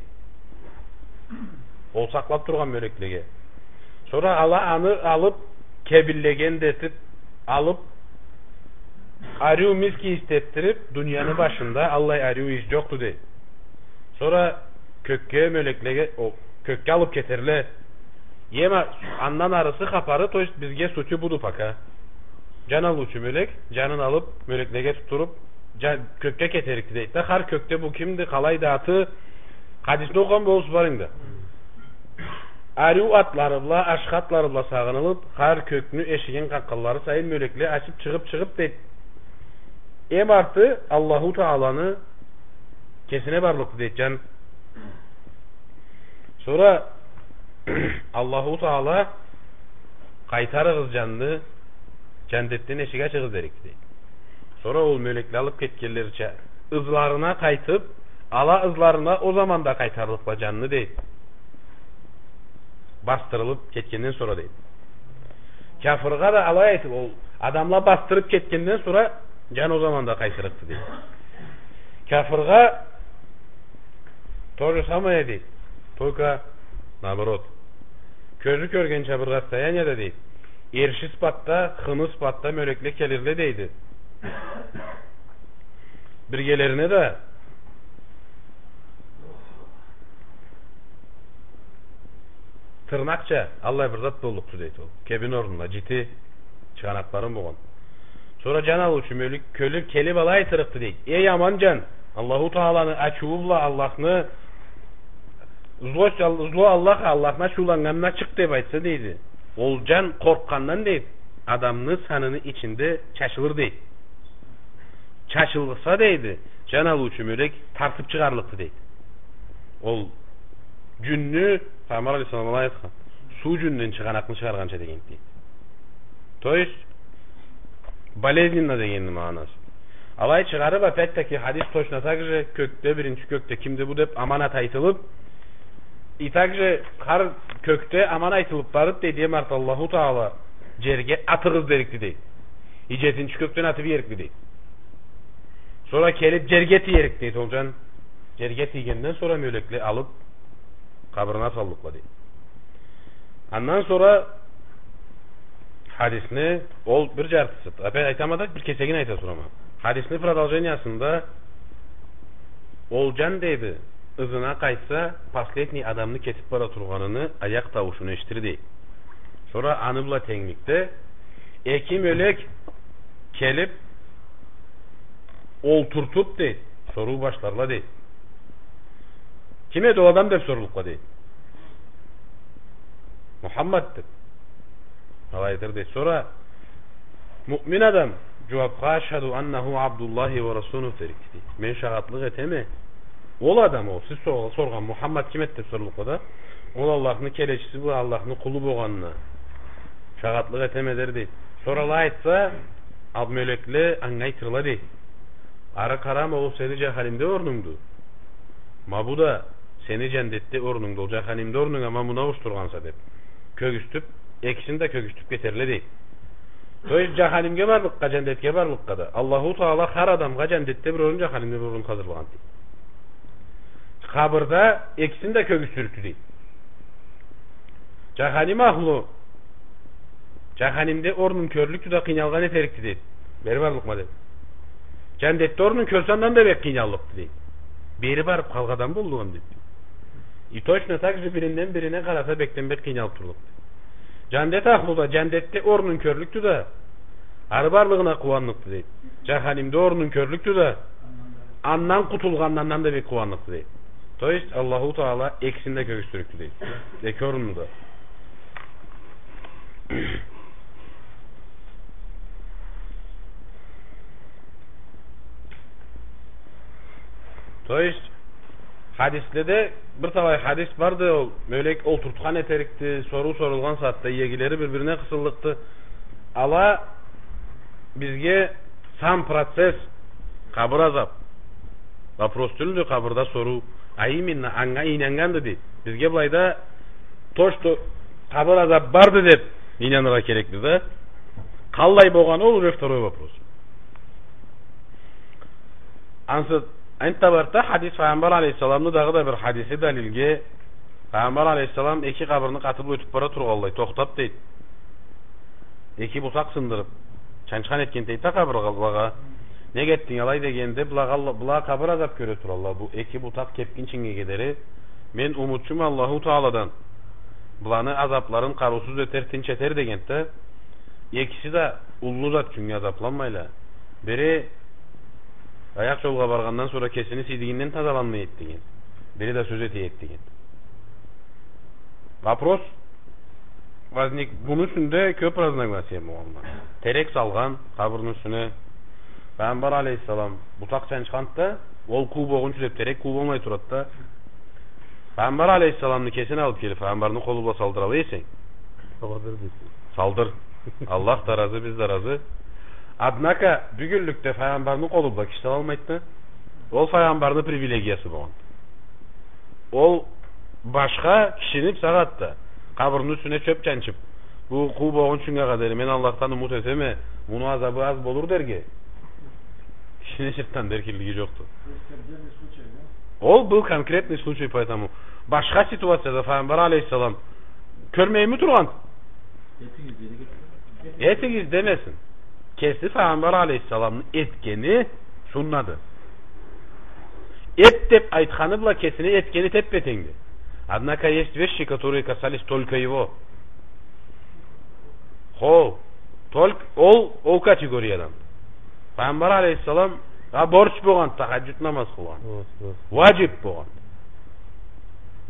Ол сакълап тургъан мёлеклеге. Сора ала аны алып, кебинлеген да этип, алып, ариу миск ийис этдирип, дунияны башында аллай ариу ийис джокъду, дейди. Сора кёкге, мёлеклеге, о, кёкге алып кетерле. Эм а-, андан арысы хапары, то есть бизге сутью буду пока. Джан алыучу мёлек, джанын алып, мёлеклеге тутдуруп, джа-, кёкге кетерикди, дейди да. Хар кёкде бу кимди, къалайды аты, хадисни окъугъан болурсуз барыгъыз да. Ариу атлары бла, ашхы атлары бла сагъынылып, хар кёкню эшигин къакъгъанлары сайын мёлекле ачып, чыгъып, чыгъып, дейди. Эм арты Аллаху Тааланы кесине барлыкъды, дейди, джан. Сора Аллаху Таала: «Къайтарыгъыз джанны, джандетден эшик ачыгъыз», — дерикди, дейди. Сора ол мёлекле алып кетгенлерича, ызларына къайтып, ала ызларына ол заманда къайтарлыкъла джанны, дейди. Басдырылып кетгенден сора, дейди. Кяфыргъа да алай айтып, ол адамла басдырып кетгенден сора, джан ол заманда къайтырыкъды, дейди. Кяфыргъа то же самое, дейди. Только наоборот. Кёзю кёргенча бир расстоянияда, дейди, эрши сыпатда, хыны сыпатда мёлекле келирле, дейди. Биргелерине да тырнакъча аллай бир зат боллукъду, дейди, ол. Кебин орнунда джити чыгъанакълары болгъан. Сора джан алыучу мёлек кёлюп, келип алай айтырыкъды, дейди: «Эй, аман джан, Аллаху Тааланы ачыуу бла Аллахны зло, зло Аллах, Аллахны ачыуланнганына чыкъ», — деп айтса, дейди. Ол джан къоркъгъандан, дейди, адамны саныны ичинде чачылыр, дейди. Чачылса, дейди, джан алыучу мёлек тартып чыгъарлыкъды, дейди. Ол джюнню, Пайгъамбар алейхиссалам алай айтхан, суу джюнден чыгъанакъны чыгъаргъанча дегенди, дейди. То есть, болезненно дегенни магъанасы. Алай чыгъарып, опять-таки, хадис точно так же, кёкде, биринчи кёкде кимди бу деп аман ат айтылып, и также хар кёкде аман айтылып барып, дейди, эм арты Аллаху Таала джерге атыгъыз дерикди, дейди. И джетинчи кёкден атып иерикди, дейди. Сора келип джерге тиерикди, дейди, ол джан. Джерге тийгенден сора мёлекле алып, къабырына саллыкъла, дейди. Андан сора хадисни, ол бир джартысы, опять айтама да, бир кесегин айта турама. Хадисни продолжениясында ол джан, дейди, ызына къайтса, последний адамны кетип бара тургъаныны аякъ тауушун эшитир, дейди. Сора аны бла тенгликде эки мёлек келип, олтуртуп, дейди, соруу башларла, дейди. Ким эди ол адам деп сорлукъла, дейди. Мухаммад деп. Алай айтыр, дейди. Сора муъмин адам джууапха: «Ашхаду аннаху Абдуллахи ва расулуху», — дерикди, дейди. Мен шагъатлыкъ этеме. Ол адам ол, сиз сор-, соргъан Мухаммад ким эди деп сорлукъла да. Ол Аллахны келечиси бла Аллахны къулу болгъанына шагъатлыкъ этеме дер, дейди. Сора алай айтса, ал мёлекле анга айтырла, дейди: «Ары къарама, ол сени джаханимде орнунгду. Ма бу да сени джандетде орнунгду, ол джаханимде орнунга ма муну ауушдургъанса», — деп. Кёгюзтюп, экисин да кёгюзтюп кетерле, дейди. То есть, джаханимге барлыкъгъа, джандетге барлыкъгъа да Аллаху Таала хар адамгъа джандетде бир орун, джаханимде бир орун хазырлагъан, дейди. Къабырда экисин да кёгюзтюрюкдю, дейди. Джаханим ахлу джаханимде орнун кёрлюкдю да, къыйналгъан этерикди, дейди. Бери барлыкъма, дейди. Джандетде орнун кёрсе, андан да бек къыйналлыкъды, дейди. Бери барып къалгъан адам боллугъун, дейди. И точно так же биринден бирине къараса, бекден бек къыйналып турлукъду. Джандет ахлу да джандетде орнун кёрлюкдю да, ары барлыгъына къууанныкъды, дейди. Джаханимде орнун кёрлюкдю да, андан къутулгъанындан да бек къууанныкъды, дейди. То есть, Аллаху Таала экисин да кёгюзтюрюкдю, дейди. Эки орунну да. То есть, хадиследе бир талай хадис барды, ол мёлек олтуртхан этерикди, соруу сорулгъан сагъатда иегилери бир-бирине къысыллыкъды. Ала бизге сам процесс, къабыр азап, вопрос тюлдю къабырда соруу, а именно анга ийнаннганды, дейди. Бизге былайда то, что къабыр азап барды деп ийнаныргъа керекбиз да. Къаллай болгъаны, ол уже второй вопрос. Ансы Энтда барды хадис, Файгъамбар алейхиссаламны дагъыда бир хадиси далилге. Файгъамбар алейхиссалам эки къабырны къатыб ётюб бара тургъанлай, тохтаб, дейди. Эки бутакъ сындырыб, чанчхан этген, дейди да, къабырлагъа. Нек этдинг алай дегенде, была, была къабыр азаб кёре туралла, бу эки бутакъ кепгинчинге дери. Мен умутчума Аллаху Тааладан, быланы азабларын къарыусуз этер, тынч этер, дегенди да. Экиси да уллу зат ючюннге азабланмайла. Бири аякъ джолгъа баргъандан сора кесини сийдигинден тазаланмай эди деген. Бири да сёз эте эди деген. Вопрос возник. Муну юсюнде кёб разногласия болгъанла. Терек салгъан къабырны юсюне. Файгъамбар алейхиссалам бутакъ чанчханды да, ол къуу болгъунчу деб, терек къуу болмай турады да. Файгъамбар алейхиссаламны кесин алыб келиб, Файгъамбарны къолу бла салдыра эсенг. Салдыр, дейди. Салдыр. Аллах да разы, биз да разы. Однако, бюгюнлюкде Файгъамбарны къолу бла киши салалмайды. Ол Файгъамбарны привилегиясы болгъан. Ол башха кишини, бусагъатда къабырны юсюне чёб чанчыб, бу къуу болгъунчунга къадар мен Аллахдан умут этеме, муну азабы аз болур дерге, кишини чыртдан эркинлиги джокъду. Ол бир конкретный случай, поэтому башха ситуацияда Файгъамбар алейхиссалам кёрмейми тургъан? Этигиз демесин. Кеси Файгъамбар алейхиссаламны этгени суннады. Эт деб айтханы бла кесини этгени теппе-тенгди. Однако есть вещи, которые касались только его. Хо, только ол, ол категориядан. Файгъамбар алейхиссаламгъа борч болгъан тахаджуд намаз къылгъан. Хо, хо. Ваджиб болгъан.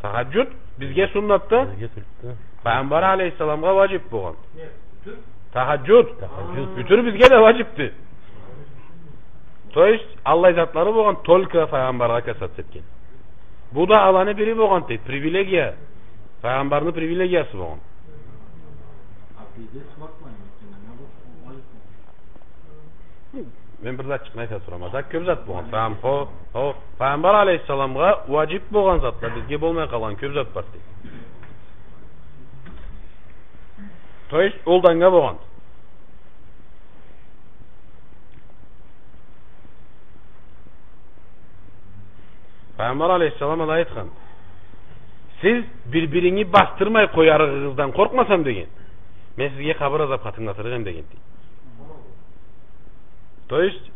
Тахаджуд бизге суннатды. Бизге суннатды. Файгъамбар алейхиссаламгъа ваджиб болгъан. Не? Бютюр? Тахаджуд. Тахаджуд. Бютюр бизге да ваджибди. То есть, аллай затлары болгъан, только Файгъамбаргъа касаться этген. Бу да аланы бири болгъан, дейди, привилегия. Файгъамбарны привилегиясы болгъан. А пиздец, мен бир затчыкъны айта турама. Зат, кёб зат болгъан. Файгъам-, хо, хо, Файгъамбар алейхиссаламгъа ваджиб болгъан затла, бизге болмай къалгъан кёб зат бар, дейди. То есть, ол да анга болгъан. Файгъамбар алейхиссалам алай айтхан: «Сиз бир-биринги басдырмай къоярыгъыздан къоркъмасам, — деген, — мен сизге къабыр азаб хатынглатырыкъ эм», — деген, дейди. То есть,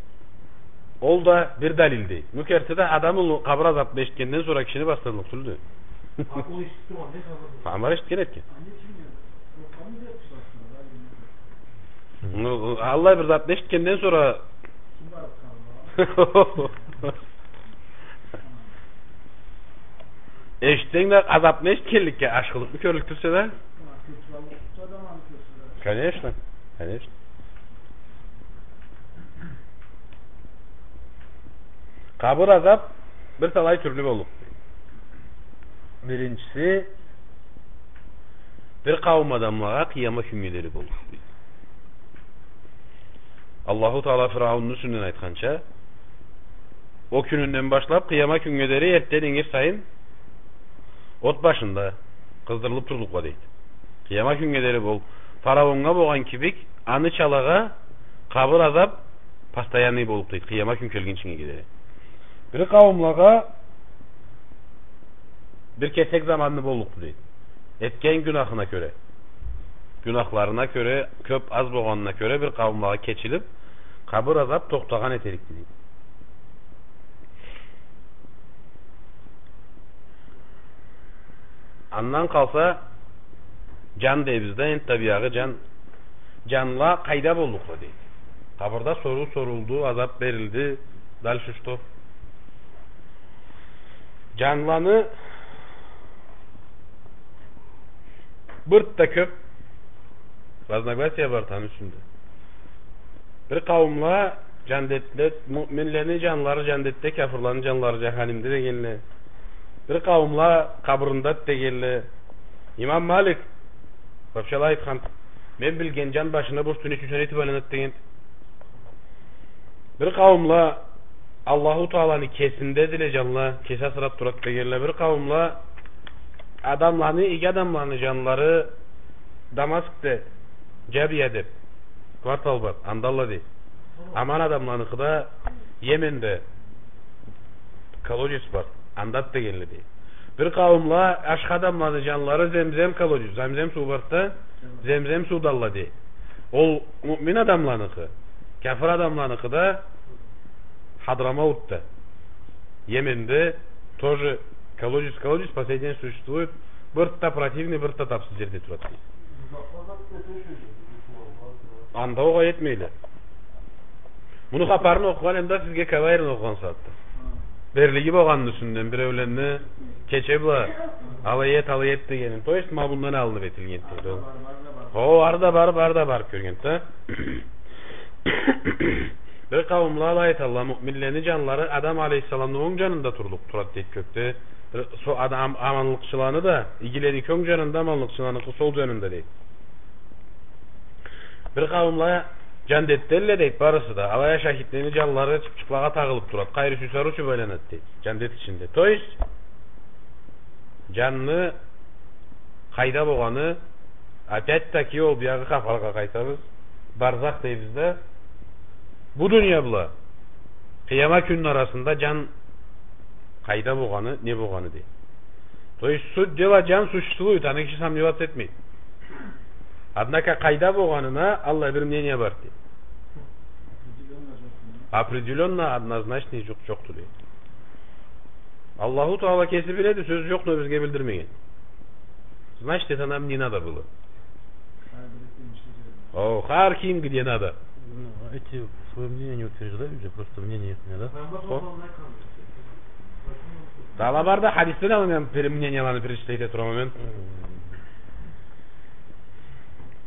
ол да бир далилди. Ну, керти да, адам улу къабыр азабны эшитгенден сора кишини басдырлыкъ тюлдю. Файгъамбар эшитген этген. Ну, аллай бир затны эшитгенден сора. Эшитсенг да, азабны эшитгенликге ашхылыкъ кёрюлюп турса да. Конечно, конечно. Къабыр азаб бир талай тюрлю боллукъду. Биринчиси, бир къауум адамлагъа къыяма кюннге дери боллукъду. Аллаху Таала Фирауунну юсюнден айтханча, ол кюнюнден башлап къыяма кюннге дери эртден ингир сайын от башында къыздырылып турлукъла, дейди. Къыяма кюннге дери бол. Фараоннга болгъан кибик, аны чалагъа къабыр азаб постоянный боллукъ, дейди, къыяма кюн келгинчинге дери. Бир къауумлагъа бир кесек заманны боллукъду, дейди. Этген гюнахына кёре, гюнахларына кёре, кёп, аз болгъанына кёре бир къауумлагъа кечилип, къабыр азаб тохтагъан этерикди, дейди. Андан къалса, джан дейбиз да, энтда биягъы джан, джанла къайда боллукъла, дейди. Къабырда соруу сорулду, азаб берилди. Дальше что? Джанланы бир да кёп разногласия бар аны юсюнде. Бир къауумла джандетде, муъминлени джанлары джандетде, кяфырланы джанлары джаханимде дегенле. Бир къауумла къабырындады дегенле. Имам Малик вообще алай айтхан: «Мен билген джан башына бу юсюнден тюшюнчюден итибарен», — деген. Бир къауумла Аллаху Тааланы кесиндедиле джанла, кеси асырап турады дегенле. Бир къауумла адамланы, иги адамланы джанлары Дамаскде, Джабия деп квартал бар, андалла, дейди. Аман адамланыкъы да Йеменде. колодец бар, анда дегенле дей. Бир къауумла ашхы адамланы джанлары Земзем колодец, Земзем суу барды да, Земзем сууда алла дей. Ол муъмин адамланыкъы, кяфыр адамланыкъы да Хадрамаутда, Йеменде тоже колодец, колодец последний существует. Бир да противный, бир да тапсыз джерде турады дей. Анда огъай этмейле. Муну хапарын окъугъан эм да сизге Кабаирни окъугъан сагъатда. Берлиги болгъанны юсюнден биреулени кече бла алай эт, алай эт дегенин. То есть, ма мындан алыныб этилген дейди ол. Хо, ары да барыб, ары да барыб кёрген да. Бир къауумла алай айталла, муъминлени джанлары Адам алейхиссаламны онг джанында турлукъ турады дейди кёкде. Бир со-, адам, аманлыкъчыланы да, игилени кёк джанында, аманлыкъчыланыкъы сол джанында дейди. Бир къауумла джандетделле дейди, барысы да. Алай а шахидлени джанлары чыпчыкълагъа тагъылыб турады. Къайры сюйсе ары учуб айланады дейди джандет ичинде. То есть, джанны къайда болгъаны, опять-таки, ол биягъы хапаргъа къайтабыз. Барзах дейбиз да. Бу дуния бла къыяма кюнню арасында джан къайда болгъаны, не болгъаны дейди. То есть, суть дела, джан существует, аны киши сомневаться этмейди. Однако къайда болгъанына аллай бир мнение бар дейди. Определённо, однозначный джокъ, джокъду дейди. Аллаху Таала кеси биледи, сёз джокъ, но бизге билдирмеген. Значит, это нам не надо было. О, хар ким где надо. Ну, эти своё мнение не утверждают же, просто мнение их, да? О. Дагъыла бар да, хадисде да мен пер-, мнениеланы перечислить эте турама мен.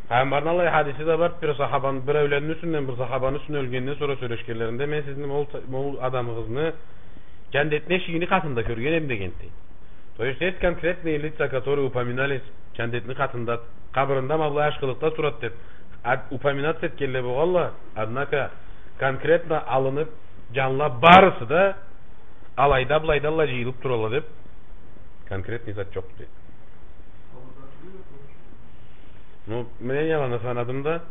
Пайгъамбарны аллай хадиси да бар, бир сахабаны, биреуленни юсюнден, бир сахабаны юсюнден ёлгенден сора сёлешгенлеринде, мен сизни ол, ол адамыгъызны джандетни эшигини къатында кёрген эм дегенди. То есть, есть конкретные лица, которые упоминались джандетни къатында, къабырында ма былай ашхылыкъда турады деб, а, упоминаться этгенле болгъалла, однако конкретно алыныб, джанла барысы да алайда, былайда аллай джыйылыб туралла деб, конкретный зат джокъду дейди. Ну, мнениеланы санадым да.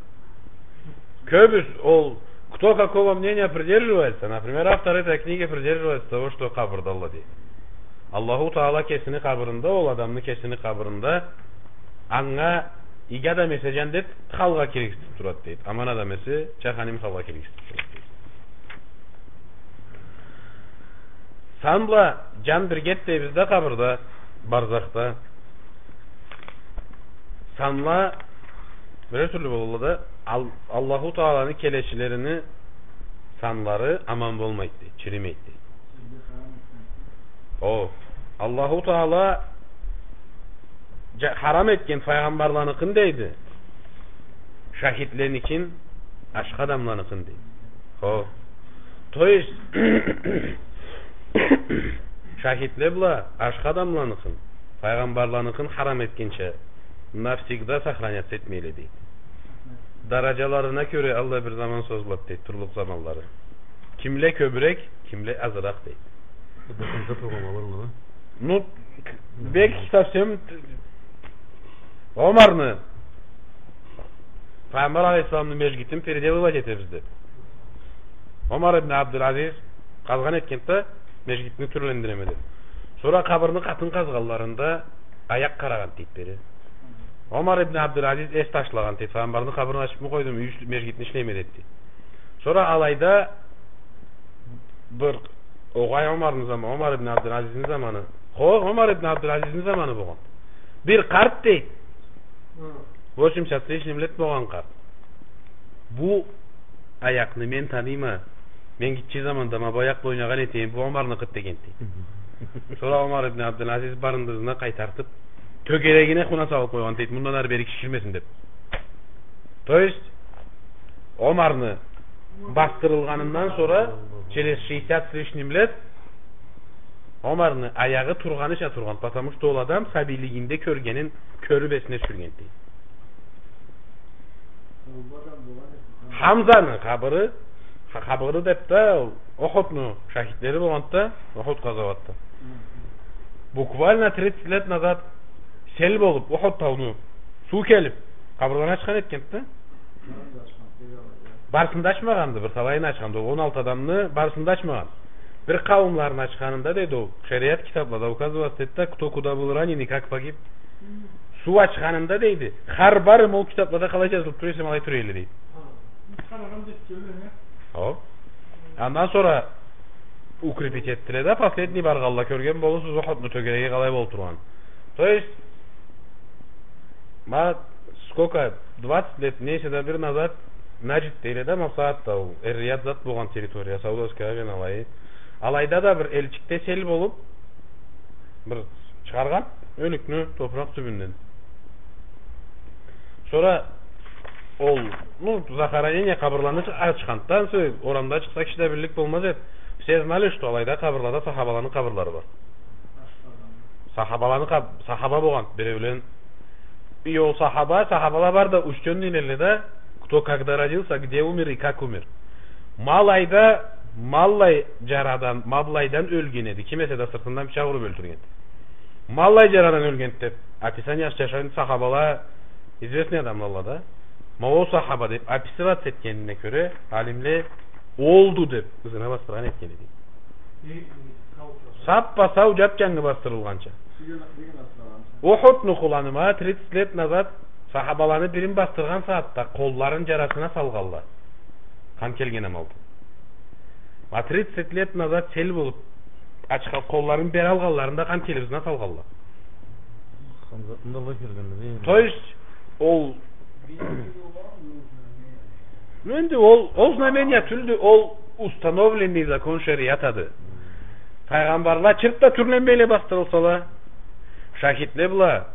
Кёбюс, ол, кто какого мнения придерживается, например, автор этой книги придерживается того, что къабырда Аллах дейди. Аллаху Таала кесини къабырында, ол адамны кесини къабырында, анга иги адам эсе джандет, халгъа киргизиб турады дейди. Аман адам эсе, джаханим халгъа киргизиб турады дейди. Сан бла джан биргеди дейбиз да къабырда, барзахда. Санла бир тюрлю болалла да, Ал-, Аллаху Тааланы келечилерини санлары аман болмайды дейди, чиримейди дейди. О, Аллаху Таала джа-, харам этген файгъамбарланыкъын дейди. Шахидленикин, ашхы адамланыкъын дейди. Хо. То есть, шахидле бла ашхы адамланыкъын, файгъамбарланыкъын харам этгинчи, навсегда сохраняться этмейле дейди. Дараджаларына кёре аллай бир заман созулады дейди, турлукъ заманлары. Кимле кёбюрек, кимле азыракъ дейди. Бу да конца тургъанла бар, да? Ну, к-, бек совсем т-, Омарны, Пайгъамбар алейхиссаламны межгитин переделывать этебиз деб. Омар ибн Абдулазиз къазгъан этгенди да, межгитни тюрлендиреме деб. Сора къабырны къатын къазгъанларында аякъ къарагъан дейди бери. Омар ибн Абдулазиз эс ташлагъан дейди, Пайгъамбарны къабырын ачыбмы къойдум, юй иш-, межгитни ишлейме деди. Сора алайда бир огъай Омарны зама-, Омар ибн Абдулазизни заманы. Хо, Омар ибн Абдулазизни заманы болгъан. Бир къарт дейди. Восемьдесят с лишним лет болгъан къарт. Бу аякъны мен таныйма. Мен гитче заманда ма бу аякъ бла ойнагъан этеме, бу Омарныкъыды дегенди. Сора Омар ибн Абдулазиз барындызына къайтартыб, тёгерегине хуна салыб къойгъан дейди, мындан ары бери киширмесин деб. То есть, Омарны басдырылгъанындан сора, через шестьдесят с лишним лет, Омарны аягъы тургъаныча тургъан, потому что ол адам сабийлигинде кёргенин кёрюб эсине тюшюрген дейди. Хамзаны къабыры, ха-, къабыры деб да, ол Охудну шахидлери болгъанды да, Охуд къазауатда. Буквально тридцать лет назад сел болуб, Охуд тауну суу келиб, къабырланы ачхан этгенди да. Барысын да ачмагъанды, бир талайын ачханды, ол он алты адамны барысын да ачмагъан. Бир къауумланы ачханында, дейди, ол шериат китаблада указываться этеди да, кто куда был ранен и как погиб. Суу ачханында, дейди, хар барым ол китаблада къалай джазылыб тура эсе, алай тура эдиле, дейди. О. Андан сора укрепить этдиле да, последний баргъанла, кёрген болурсуз Ухудну тёгереги къалай болуб тургъанын. То есть, ма, сколько, двадцать лет, нейсе да бир назад, Наджд дейле да, ма бусагъатда ол Эр-Рияд зат болгъан территория, Саудовская Аравияны алайы. Алайда да бир элчикде сел болуб, бир чыгъаргъан ёлюкню топуракъ тюбюнден. Сора ол, ну, захоронение, къабырланы чы-, ачханды да, ансы орамда чыкъса, киши да биллик болмаз эди. Все знали, что алайда къабырлада сахабаланы къабырлары бар. Сахабаланы къаб-, сахаба болгъан биреулен. И ол сахаба, сахабала бары да учтённыйле да, кто когда родился, где умер и как умер. Ма алайда, ма аллай джарадан, ма былайдан ёлген эди. Ким эсе да сыртындан пычакъ уруб ёлтюрген. Ма аллай джарадан ёлген деб описание чыгъаргъан сахабала, известный адамла да. Ма ол сахаба деб описываться этгенине кёре, алимле олду деб ызына басдыргъан этген эди. Саппа-сау, джап-джангы басдырылгъанча. Ухудну къуланы ма тридцать лет назад сахабаланы бирин басдыргъан сагъатда къолларын джарасына салгъанла. Къан келген амалда. Ма тридцать лет назад сел болуб, ачха-, къолларын бери алгъанларында къан келиб ызына салгъанла. Хамзатны да алай келгенди, дейми? То есть, ол Ну, энди ол, ол знамение тюлдю, ол установленный закон шериатады. Файгъамбарла чырт да тюрленмейле басдырылсала, шахидле бла,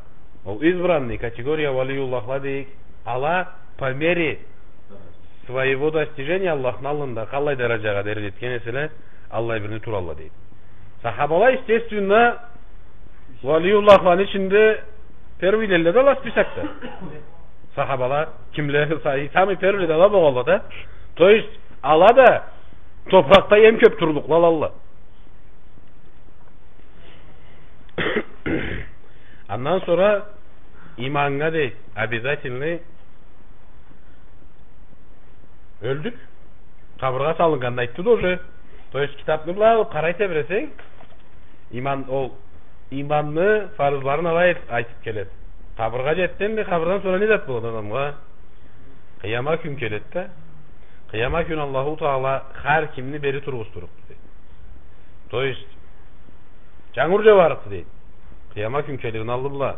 ол избранный категория валиюллахла дейик, ала по мере своего достижения Аллахны аллында къаллай даражагъа дери джетген эселе, аллай бирни туралла дейик. Сахабала, естественно, валиюллахланы ичинде первыйлелле да ала списокда. Сахабала, кимле, са-, самый первыйле да ала болгъанла да. То есть, ала да топуракъда эм кёб турлукъла алалла. Андан сора иманнга дейик, обязательный. Ёлдюк. Къабыргъа салыннганын айтды да уже. То есть, китабны былай алыб къарай тебиресенг, иман, ол иманны фарызларын алай айтыб келеди. Къабыргъа джетдинг, къабырдан сора не зат болады адамгъа? Къыяма кюн келеди да. Къыяма кюн Аллаху Таала хар кимни бери тургъуздурукъду дейди. То есть, джангур джауарыкъды дейди. Къыяма кюн келирни аллы бла.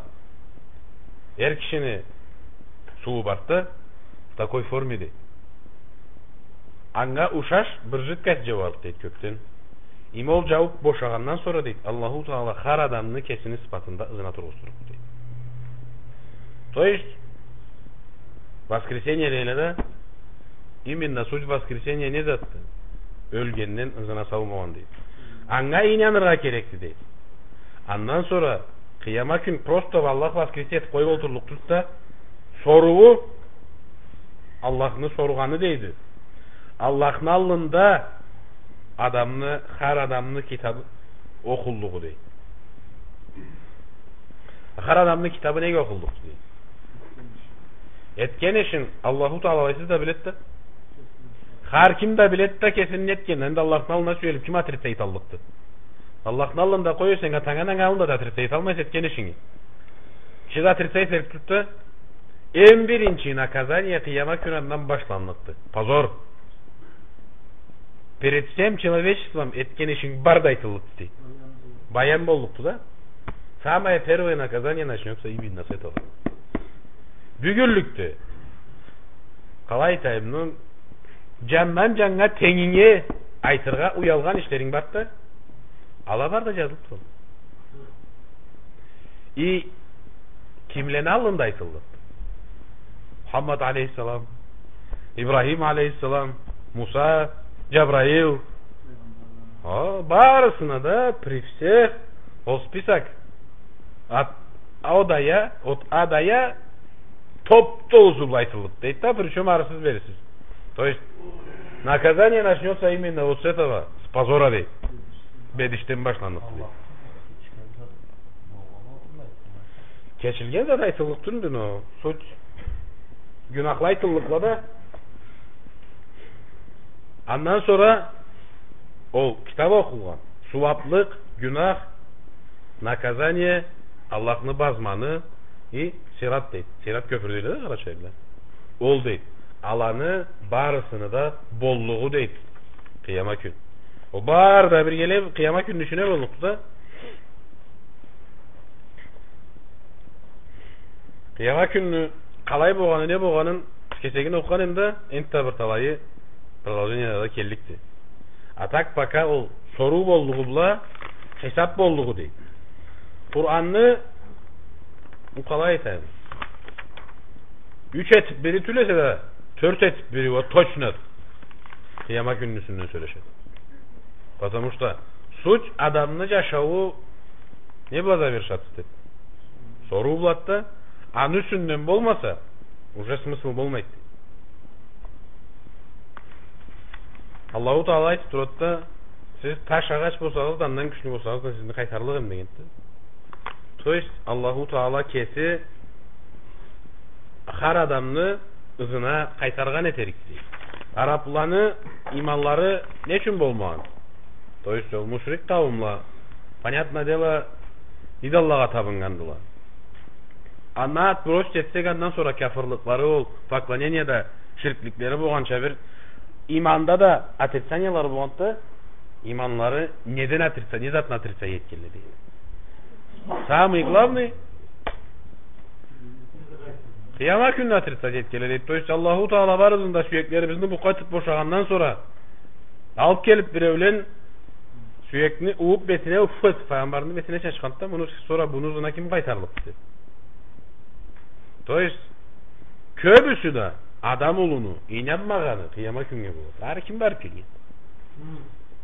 Эр кишини сууу барды да, в такой форме дейди. Анга ушаш бир жидкость джауарыкъды дейди кёкден. Эм ол джаууб бошагъандан сора дейди, Аллаху Таала хар адамны кесини сыфатында ызына тургъуздурукъду дейди. То есть, воскресение дейле да, именно суть воскресения не затды? Ёлгенден ызына сау болгъан дейди. Анга ийнаныргъа керекди дейди. Андан сора къыяма кюн просто Аллах воскресить этиб къоюб олтурлукъ тюлдю да, сорууу, Аллахны соругъаны дейди. Аллахны аллында адамны, хар адамны китабы окъуллугъу дейди. Хар адамны китабы неге окъуллукъду дейди? Этген ишин Аллаху Таала алайсыз да биледи да. Хар ким да биледи да кесини не этгенин. Энди Аллахны аллына сюелиб ким отрицать эталлыкъды? Аллахны аллында къой, сен атанга, ананга аллында да отрицать эталмайса этген ишинги. Киши да отрицать этиб турду да, эм биринчи наказание къыяма кюн андан башланныкъды. Позор. Перед всем человечеством этген ишинг бары да айтыллыкъды дейди. Баян боллукъду да. Самое первое наказание начнётся именно с этого. Бюгюнлюкде. Къалай айтайым, ну, джандан джаннга тенгинге айтыргъа уялгъан ишлеринг барды да, ала бары да джазылыб турады. И кимлени аллында айтыллыкъды? Мухаммад алейхиссалам, Ибрахим алейхиссалам, Муса, Джабраил. О, барысына да при всех ол список от, от ада я, от ада я топ-толусу бла айтыллыкъды дейди да, причём арысыз-берисиз. То есть, наказание начнётся именно вот с этого, с позора дейди. Бедишден башланныкъды дейди. Кечилген зат айтыллыкъ тюлдю, но суть гюнахла айтыллыкъла да. Андан сора Ол китаб окъулгъан, сууаблыкъ, гюнах, наказание, Аллахны базманы, и сират дейди. Сират кёпюр дейле да къарачайлыла. Ол дейди. Аланы барысыны да боллугъу дейди. Къыяма кюн. Ол бары да биргелей къыяма кюнню ичине боллукъду да. Къыяма кюнню къалай болгъаны, не болгъанын кесегин окъугъан эдим да, энтда бир талайы продолжениеде да келликди. А так пока ол соруу боллугъу бла хисаб боллугъу дейди. Къуранны, бу къалай айтайым, юч этиб бири тюл эсе да, тёрт этиб бири, вот, точно къыяма кюнню юсюнден сёлешеди. Потому что суть адамны джашауу не бла завершаться этеди? Соруу блады да, аны юсюнден болмаса, уже смысл болмайды. Аллаху Таала айтыб турады да, сиз таш, агъач болсагъыз да, андан кючлю болсагъыз да, сизни къайтарлыкъ эдим дегенди. То есть Аллаху Таала кеси хар адамны ызына къайтаргъан этерикди. Арабланы иманлары не ючюн болмагъан? То есть ол мушрик къауумла, понятное дело, идоллагъа табыннгандыла. Андан отбросить этсек, андан сора кафырлыкълары, ол поклонениеде ширкликлери болгъанча бир, иманда да отрицаниелары болгъанды да, иманлары неден отрицание, не затны отрицание этгенле дейди. Самый главный, къыяма кюнню отрицать этгенле дейди. То есть Аллаху Таала барыбызны да сюеклерибизни букъа этиб бошагъандан сора, алыб келиб биреулен сюекни ууб бетине уф этиб, файгъамбарны бетине чачханды да, муну сора муну ызына ким къайтарлыкъды? То есть кёбюсю да адам улуну ийнанмагъаны къыяма кюннге болады. Ары ким барыб келген?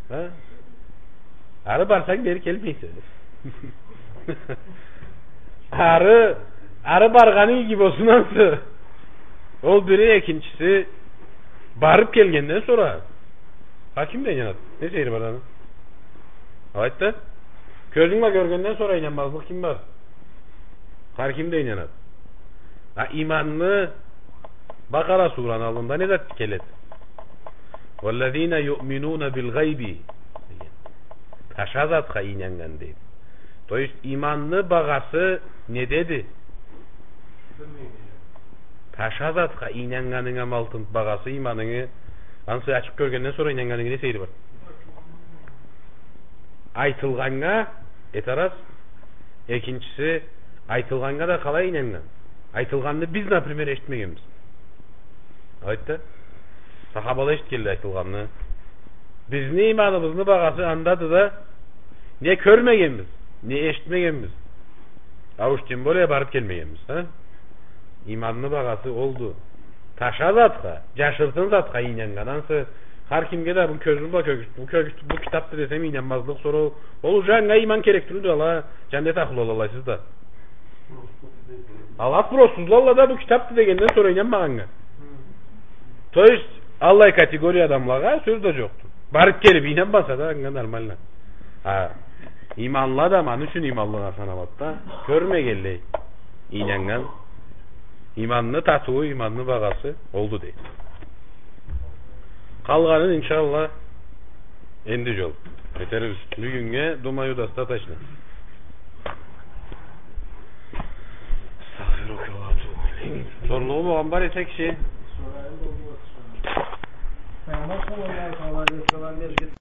Хы? Ары барсанг, бери келмейсе. Ары, ары баргъанынг иги болсун ансы. Ол бири, экинчиси, барыб келгенден сора хар ким да ийнанады. Не сейири бар аны? Алайды да. Кёзюнг бла кёргенден сора ийнанмазлыкъ ким бар? Хар ким да ийнанады. А иманны, Бакъара сураны аллында не зат келеди? «Валлазина юъминуна билгъайби», деген. Таша затха ийнаннган дейди. То есть иманны багъасы недеди? Таша затха ийнаннганынгы ма алтын багъасы, иманынгы, ансы ачыкъ кёргенден сора ийнаннганынгы не сейири бар? Айтылгъаннга, эт арас. Экинчиси, айтылгъаннга да къалай ийнаннган? Айтылгъанны биз, например, эшитмегенбиз. Алайды да. Сахабала эшитгенле айтылгъанны. Бизни иманыбызны багъасы андады да, не кёрмегенбиз, не эшитмегенбиз. А уж тем более барыб келмегенбиз, а? Иманны багъасы олду. Таша затха, джашыртын затха ийнаннган. Ансы хар кимге да бу кёзюм бла кёргюз-, бу кёргюз-, бу китабды десем, ийнанмазлыкъ, сора ол, ол уже анга иман керек тюлдю, ала, джандет ахлу алалайсыз да. Ала спроссузла, ала да бу китабды дегенден сора ийнанмагъаннга. То есть, аллай категория адамлагъа сёз да джокъду. Барыб келиб ийнанмаса да, анга нормально. А иманлы адам аны ючюн иманлыгъа саналады да, кёрмегенлей ийнаннган. Иманны татыуу, иманны багъасы олду дейди. Къалгъанын, иншаллах, энди джол этербиз. Бюгюннге, думаю, достаточно. Астагъфируллах ва атубу илейх. Сорлугъу болгъан бар эсе киши.